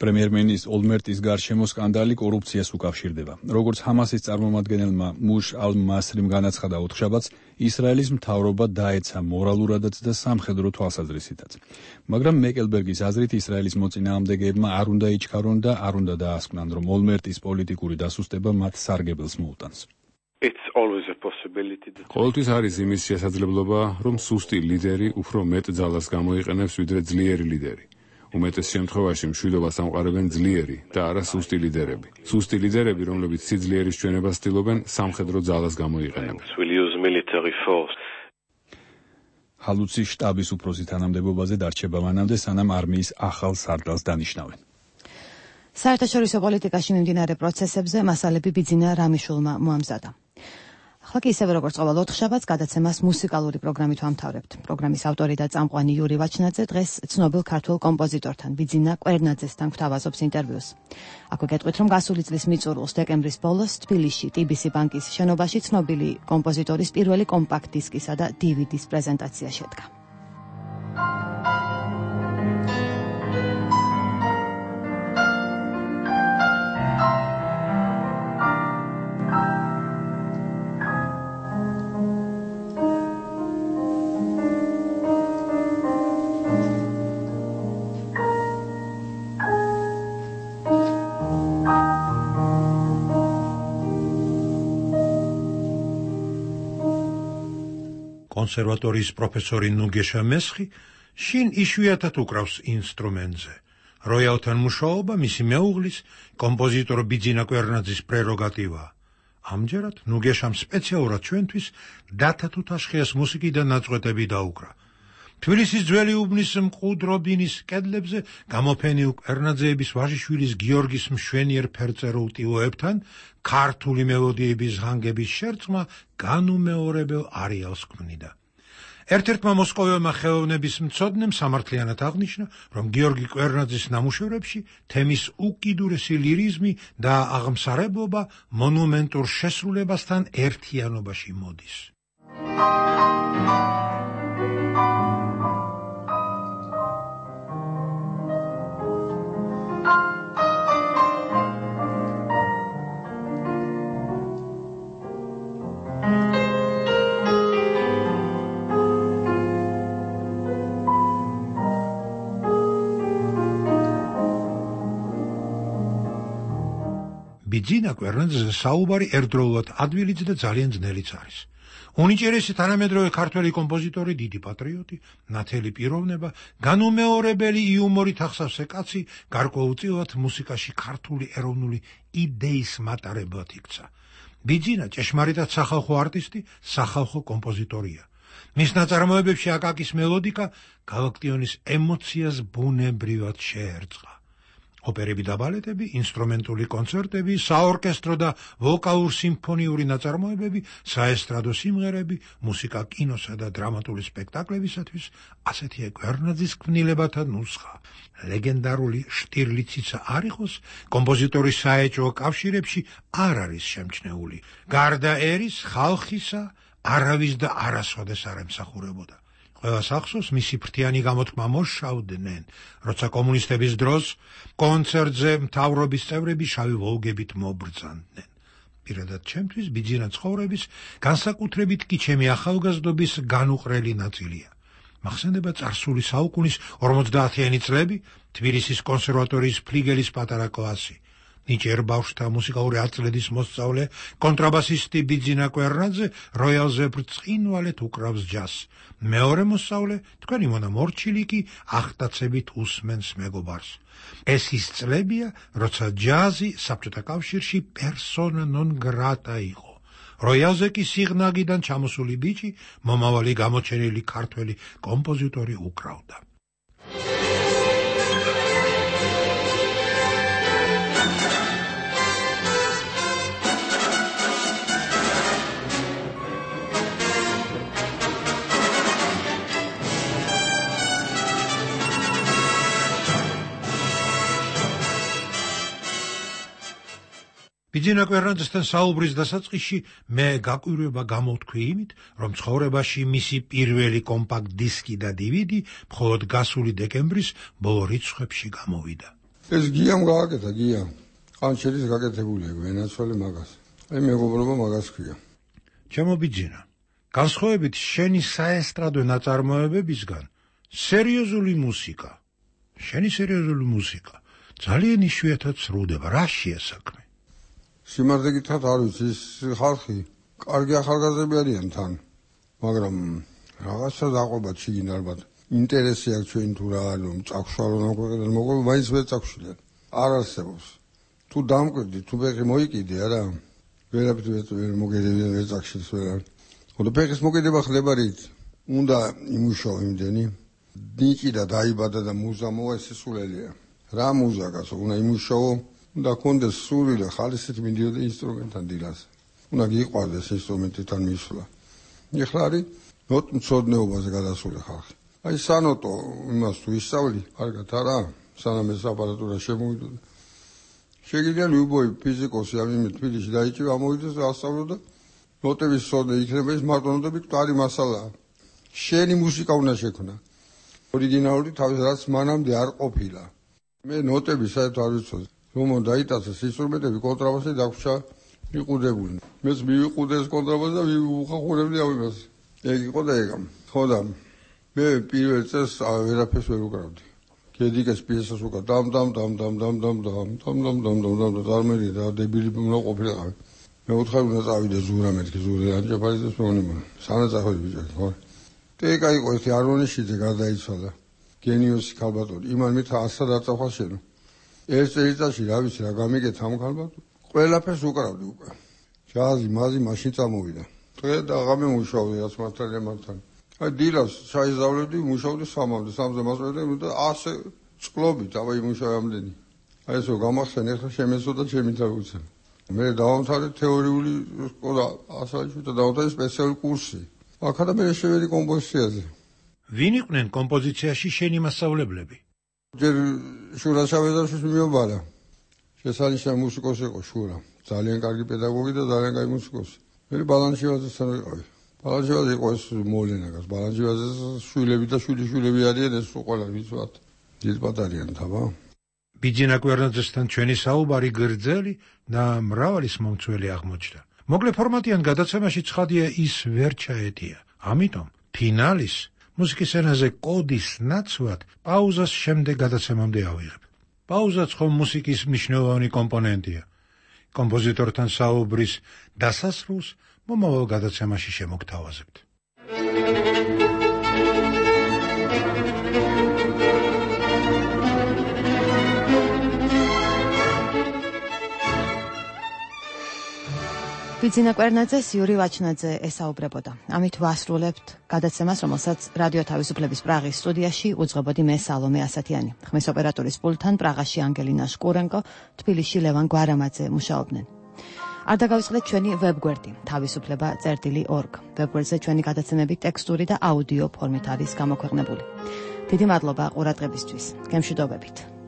პრემიერ-მინისტრის ოლმერტის გარშემო სკანდალი კორუფციას უკავშირდება. როგორც ჰამასის წარმომადგენელმა მუშ ალ-მასრიმ განაცხადა ოთხშაბათს, ისრაელის მთავრობა დაეცა მორალურადაც და სამხედრო თვალსაზრისითაც. მაგრამ მეკელბერგის აზრით ისრაელის მოწინააღმდეგეებმა არ უნდა იჩქარონ და არ უნდა დაასკვნან, რომ ოლმერტის პოლიტიკური დასუსტება მათ სარგებელს მოუტანს. It's always a possibility. ყოველთვის არის იმის შესაძლებლობა, რომ სუსტი ლიდერი უფრო მეტ ძალას გამოიყენებს, ვიდრე ძლიერი ლიდერი. უმეტეს შემთხვევაში მშვიდობას ამყარებენ ძლიერი და არა სუსტი ლიდერები. სუსტი ლიდერები, რომლებიც სიძლიერის ჩვენებას ცდილობენ, სამხედრო ძალას გამოიყენებენ. ჰალუცი შტაბის უფროსის თანამდებობაზე დარჩება მანამდე, სანამ არმიის ახალ სარდალს დანიშნავენ. საერთაშორისო პოლიტიკაში მიმდინარე პროცესებზე მასალები ბიძინა რამიშულმა მოამზადა. ახლა კი ისევე როგორც ყოველ ოთხშაბათს გადაცემას მუსიკალური პროგრამით ვამთავრებთ. პროგრამის ავტორი და წამყვანი იური ვაჩნაძე დღეს ცნობილ ქართველ კომპოზიტორთან ბიძინა კვერნაძესთან გვთავაზობს ინტერვიუს. აქვე გეტყვით, რომ გასული წლის მიწურულს დეკემბრის ბოლოს თბილისში ტიბისი ბანკის შენობაში ცნობილი კომპოზიტორის პირველი კომპაქტ დისკისა და დი ვი დის პრეზენტაცია შედგა. კონსერვატორიის პროფესორი ნუგეშა მესხი შინ იშვიათად უკრავს ინსტრუმენტზე. როიალთან მუშაობა მისი მეუღლის, კომპოზიტორ ბიძინა კვერნაძის პრეროგატივაა. ამჯერად ნუგეშამ სპეციალურად ჩვენთვის დათა თუთაშხიას მუსიკიდან ნაწყვეტები დაუკრა. თბილისის ძველი უბნის მყუდრობინის კედლებზე გამოფენილ კვერნაძეების ვაჟიშვილის გიორგის მშვენიერ ფერწერულ ტილოებთან ქართული მელოდიების ჟანგების შერწყმა განუმეორებელ არეალს ქმნიდა. ერთ-ერთმა მოსკოველმა ხელოვნების მცოდნემ სამართლიანად აღნიშნა, რომ გიორგი კვერნაძის ნამუშევრებში თემის უკიდურესი ლირიზმი და აღმსარებლობა მონუმენტურ შესრულებასთან ერთიანობაში მოდის. ბიძინა კვერნაძეზე საუბარი ერთდროულად ადვილიც და ძალიან ძნელიც არის. უნიჭერესი თანამედროვე ქართველი კომპოზიტორი, დიდი პატრიოტი, ნათელი პიროვნება, განუმეორებელი იუმორით ახსავსე კაცი, გარკვეულწილად მუსიკაში ქართული ეროვნული იდეის მატარებლად იქცა. ბიძინა ჭეშმარიტად სახალხო არტისტი, სახალხო კომპოზიტორია. მის ნაწარმოებებში აკაკის მელოდიკა გალაქტიონის ემოციას ბუნებრივად შეერწყა. ოპერები და ბალეტები, ინსტრუმენტული კონცერტები, საორკესტრო და ვოკალურ-სიმფონიური ნაწარმოებები, საესტრადო სიმღერები, მუსიკა კინოსა და დრამატული სპექტაკლებისათვის, ასეთია კვერნაძის ქმნილებათა ნუსხა. ლეგენდარული შტირლიციცა არ იყოს, კომპოზიტორის საეჭვო კავშირებში არ არის შემჩნეული. გარდა ერის, ხალხისა, არავის და არასოდეს არ ემსახურებოდა. ყველას ახსოვს მისი ფრთიანი გამოთქმა მოსშავდნენ, როცა კომუნისტების დროს კონცერტზე მთავრობის წევრები შავი ვოლგებით მობრძანდნენ. პირადად ჩემთვის ბიძინა ცხოვრების განსაკუთრებით კი ჩემი ახალგაზრდობის განუყრელი ნაწილია. მახსენდება წარსული საუკუნის ორმოცდაათიანი წლები, თბილისის კონსერვატორიის ფლიგელის პატარა კლასი. ნიჭიერ ბავშვთა მუსიკალური აწლედის მოსწავლე, კონტრაბასისტი ბიძინა კვერნაძე როიალზე ბრწყინვალედ უკრავს ჯაზს. მეორე მოსწავლე, თქვენი მონა მორჩილი კი ახტაცებით უსმენს მეგობარს. ეს ის წლებია, როცა ჯაზი საბჭოთა კავშირში პერსონა ნონ გრატა იყო. როიალზე კი სიღნაგიდან ჩამოსული ბიჭი, მომავალი გამოჩენილი ქართველი კომპოზიტორი უკრავდა. ბიძინა კვერნაძესთან საუბრის დასაწყისში მე გაკვირვება გამოვთქვი იმით, რომ ცხოვრებაში მისი პირველი კომპაქტ დისკი და დივიდი მხოლოდ გასული დეკემბრის ბოლო რიცხვებში გამოვიდა. ეს გიამ გააკეთა, გია. ყანჩელის გაკეთებულია, ვენაცვალე მაგას. აი მეგობრობა მაგას ქვია. ჩემო ბიძინა, განსხვავებით შენი საესტრადო ნაწარმოებებისგან, სერიოზული მუსიკა, შენი სერიოზული მუსიკა ძალიან იშვიათად სრულდება. რა შეასაქმე? სიმართლე გითხრათ არ ვიცი, ის ხალხი კარგი ახალგაზრდები არიან თან, მაგრამ რაღაცა დაყვება ჩიგინ ალბათ. ინტერესი აქვს ჩვენ თუ რა არის, წაგშვალონ ამ ქვეყნიდან მოყოლ, მაინც ვერ წაგშვილენ. არ არსებობს. თუ დამკვირდი, თუ ფეხი მოიკიდე არა, ვერაფრით ვერ მოგედებიან, ვერ წაგშილს ვერ არის. ხოლო ფეხის მოკიდება ხდება რით? უნდა იმუშაო იმდენი, ნიჭი და დაიბადა და მუზა მოვა, ეს სულელია. რა მუზა კაცო, უნდა იმუშაო. უნდა კონდეს სული და ხალისით მინდიოდა ინსტრუმენტთან დილას. უნდა გიყვარდეს ინსტრუმენტთან მისვლა. ეხლა არის ნოტმცოდნეობაზე გადასული ხალხი. აი სანოტო იმას თუ ისწავლი, კარგად არა, სანამ ეს აპარატურა შემოვიდოდა. შეგიძლია ლიუბოვი ფიზიკოსი ამ იმ თბილისში დაიჭირა, ამოვიდეს და ასწავლო და ნოტების სოდე იქნება, ის მარტო ნოტები მკვდარი მასალაა. შენი მუსიკა უნდა შექმნა. ორიგინალური თავის რაც მანამდე არ ყოფილა. მე ნოტები საერთოდ არ ვიცოდი. რომ დაიტაცეს ინსტრუმენტები, კონტრაბასი დაგვრჩა იყუდებული. მეც მივიყუდე ეს კონტრაბასი და ვუხახუნებდი ამას. ეგ იყო და ეგა. ხო და მე პირველ წელს ვერაფერს ვერ უკრავდი. გედიკეს პიესას უკრავ დამ დამ დამ დამ დამ დამ დამ დამ დამ დამ დამ დამ და წარმერი და დებილი უნდა ყოფილიყავი. მე უთხარ უნდა წავიდე ზურა მეთქი ზურა ანჯაფარიძეს მეუბნება. სანაცახველი ბიჭი ხო? ტეკა იყო ეს არონიშიძე გარდაიცვალა. გენიოსი ქალბატონი. იმან მით ასად აწახვა შენო. ეს წელიწადში რა ვიცი რა გამიგეთ ამ ქალბატონს. ყველაფერს უკრავდი უკვე. ჯაზი, მაზი მაშინ წამოვიდა. დღე და ღამე მუშაობდი რაც მართალია მართალ. აი დილას ჩაიზავლებდი, მუშაობდი სამამდე, სამზე მასწავლე და ასე წყლობით, აბა იმუშავე ამდენი. აი ესო გამახსენ ახლა შემეცოდა ჩემი თავიცა. მე დავამთავრე თეორიული სკოლა, ასალში და დავამთავრე სპეციალური კურსი. აქა მე შევედი კომპოზიციაზე. ვინ იყვნენ კომპოზიციაში შენი მასწავლებლები? ჯერ შურა შავედაშვილს მიობარა. შესანიშნავი მუსიკოსი იყო შურა. ძალიან კარგი პედაგოგი და ძალიან კარგი მუსიკოსი. მე ბალანჩივაძესთან ვიყავი. ბალანჩივაძე იყო ეს მოვლენაგას. ბალანჩივაძეს შვილები და შვილიშვილები არიან ეს ყველა ვიცვათ. დიდბად არიან თაბა. ბიძინა კვერნაძესთან ჩვენი საუბარი გრძელი და მრავალის მომცველი აღმოჩნდა. მოკლე ფორმატიან გადაცემაში ცხადია ის ვერ ჩაეტია. ამიტომ ფინალის მუსიკის ენაზე კოდის ნაცვლად პაუზას შემდეგ გადაცემამდე ავიღებ. პაუზაც ხომ მუსიკის მნიშვნელოვანი კომპონენტია. კომპოზიტორთან საუბრის დასასრულს მომავალ გადაცემაში შემოგთავაზებთ. ბიძინა კვერნაძეს იური ვაჩნაძე ესაუბრებოდა. ამით ვასრულებთ გადაცემას, რომელსაც რადიო თავისუფლების პრაღის სტუდიაში უძღვებოდი მე სალომე ასათიანი. ხმის ოპერატორის პულტთან პრაღაში ანგელინა შკურენკო, თბილისში ლევან გვარამაძე მუშაობდნენ. არ დაგავიწყდეთ ჩვენი ვებგვერდი თავისუფლება წერტილი ორგ. ვებგვერდზე ჩვენი გადაცემები ტექსტური და აუდიო ფორმით არის გამოქვეყნებული. დიდი მადლობა ყურადღებისთვის. გემშვიდობებით.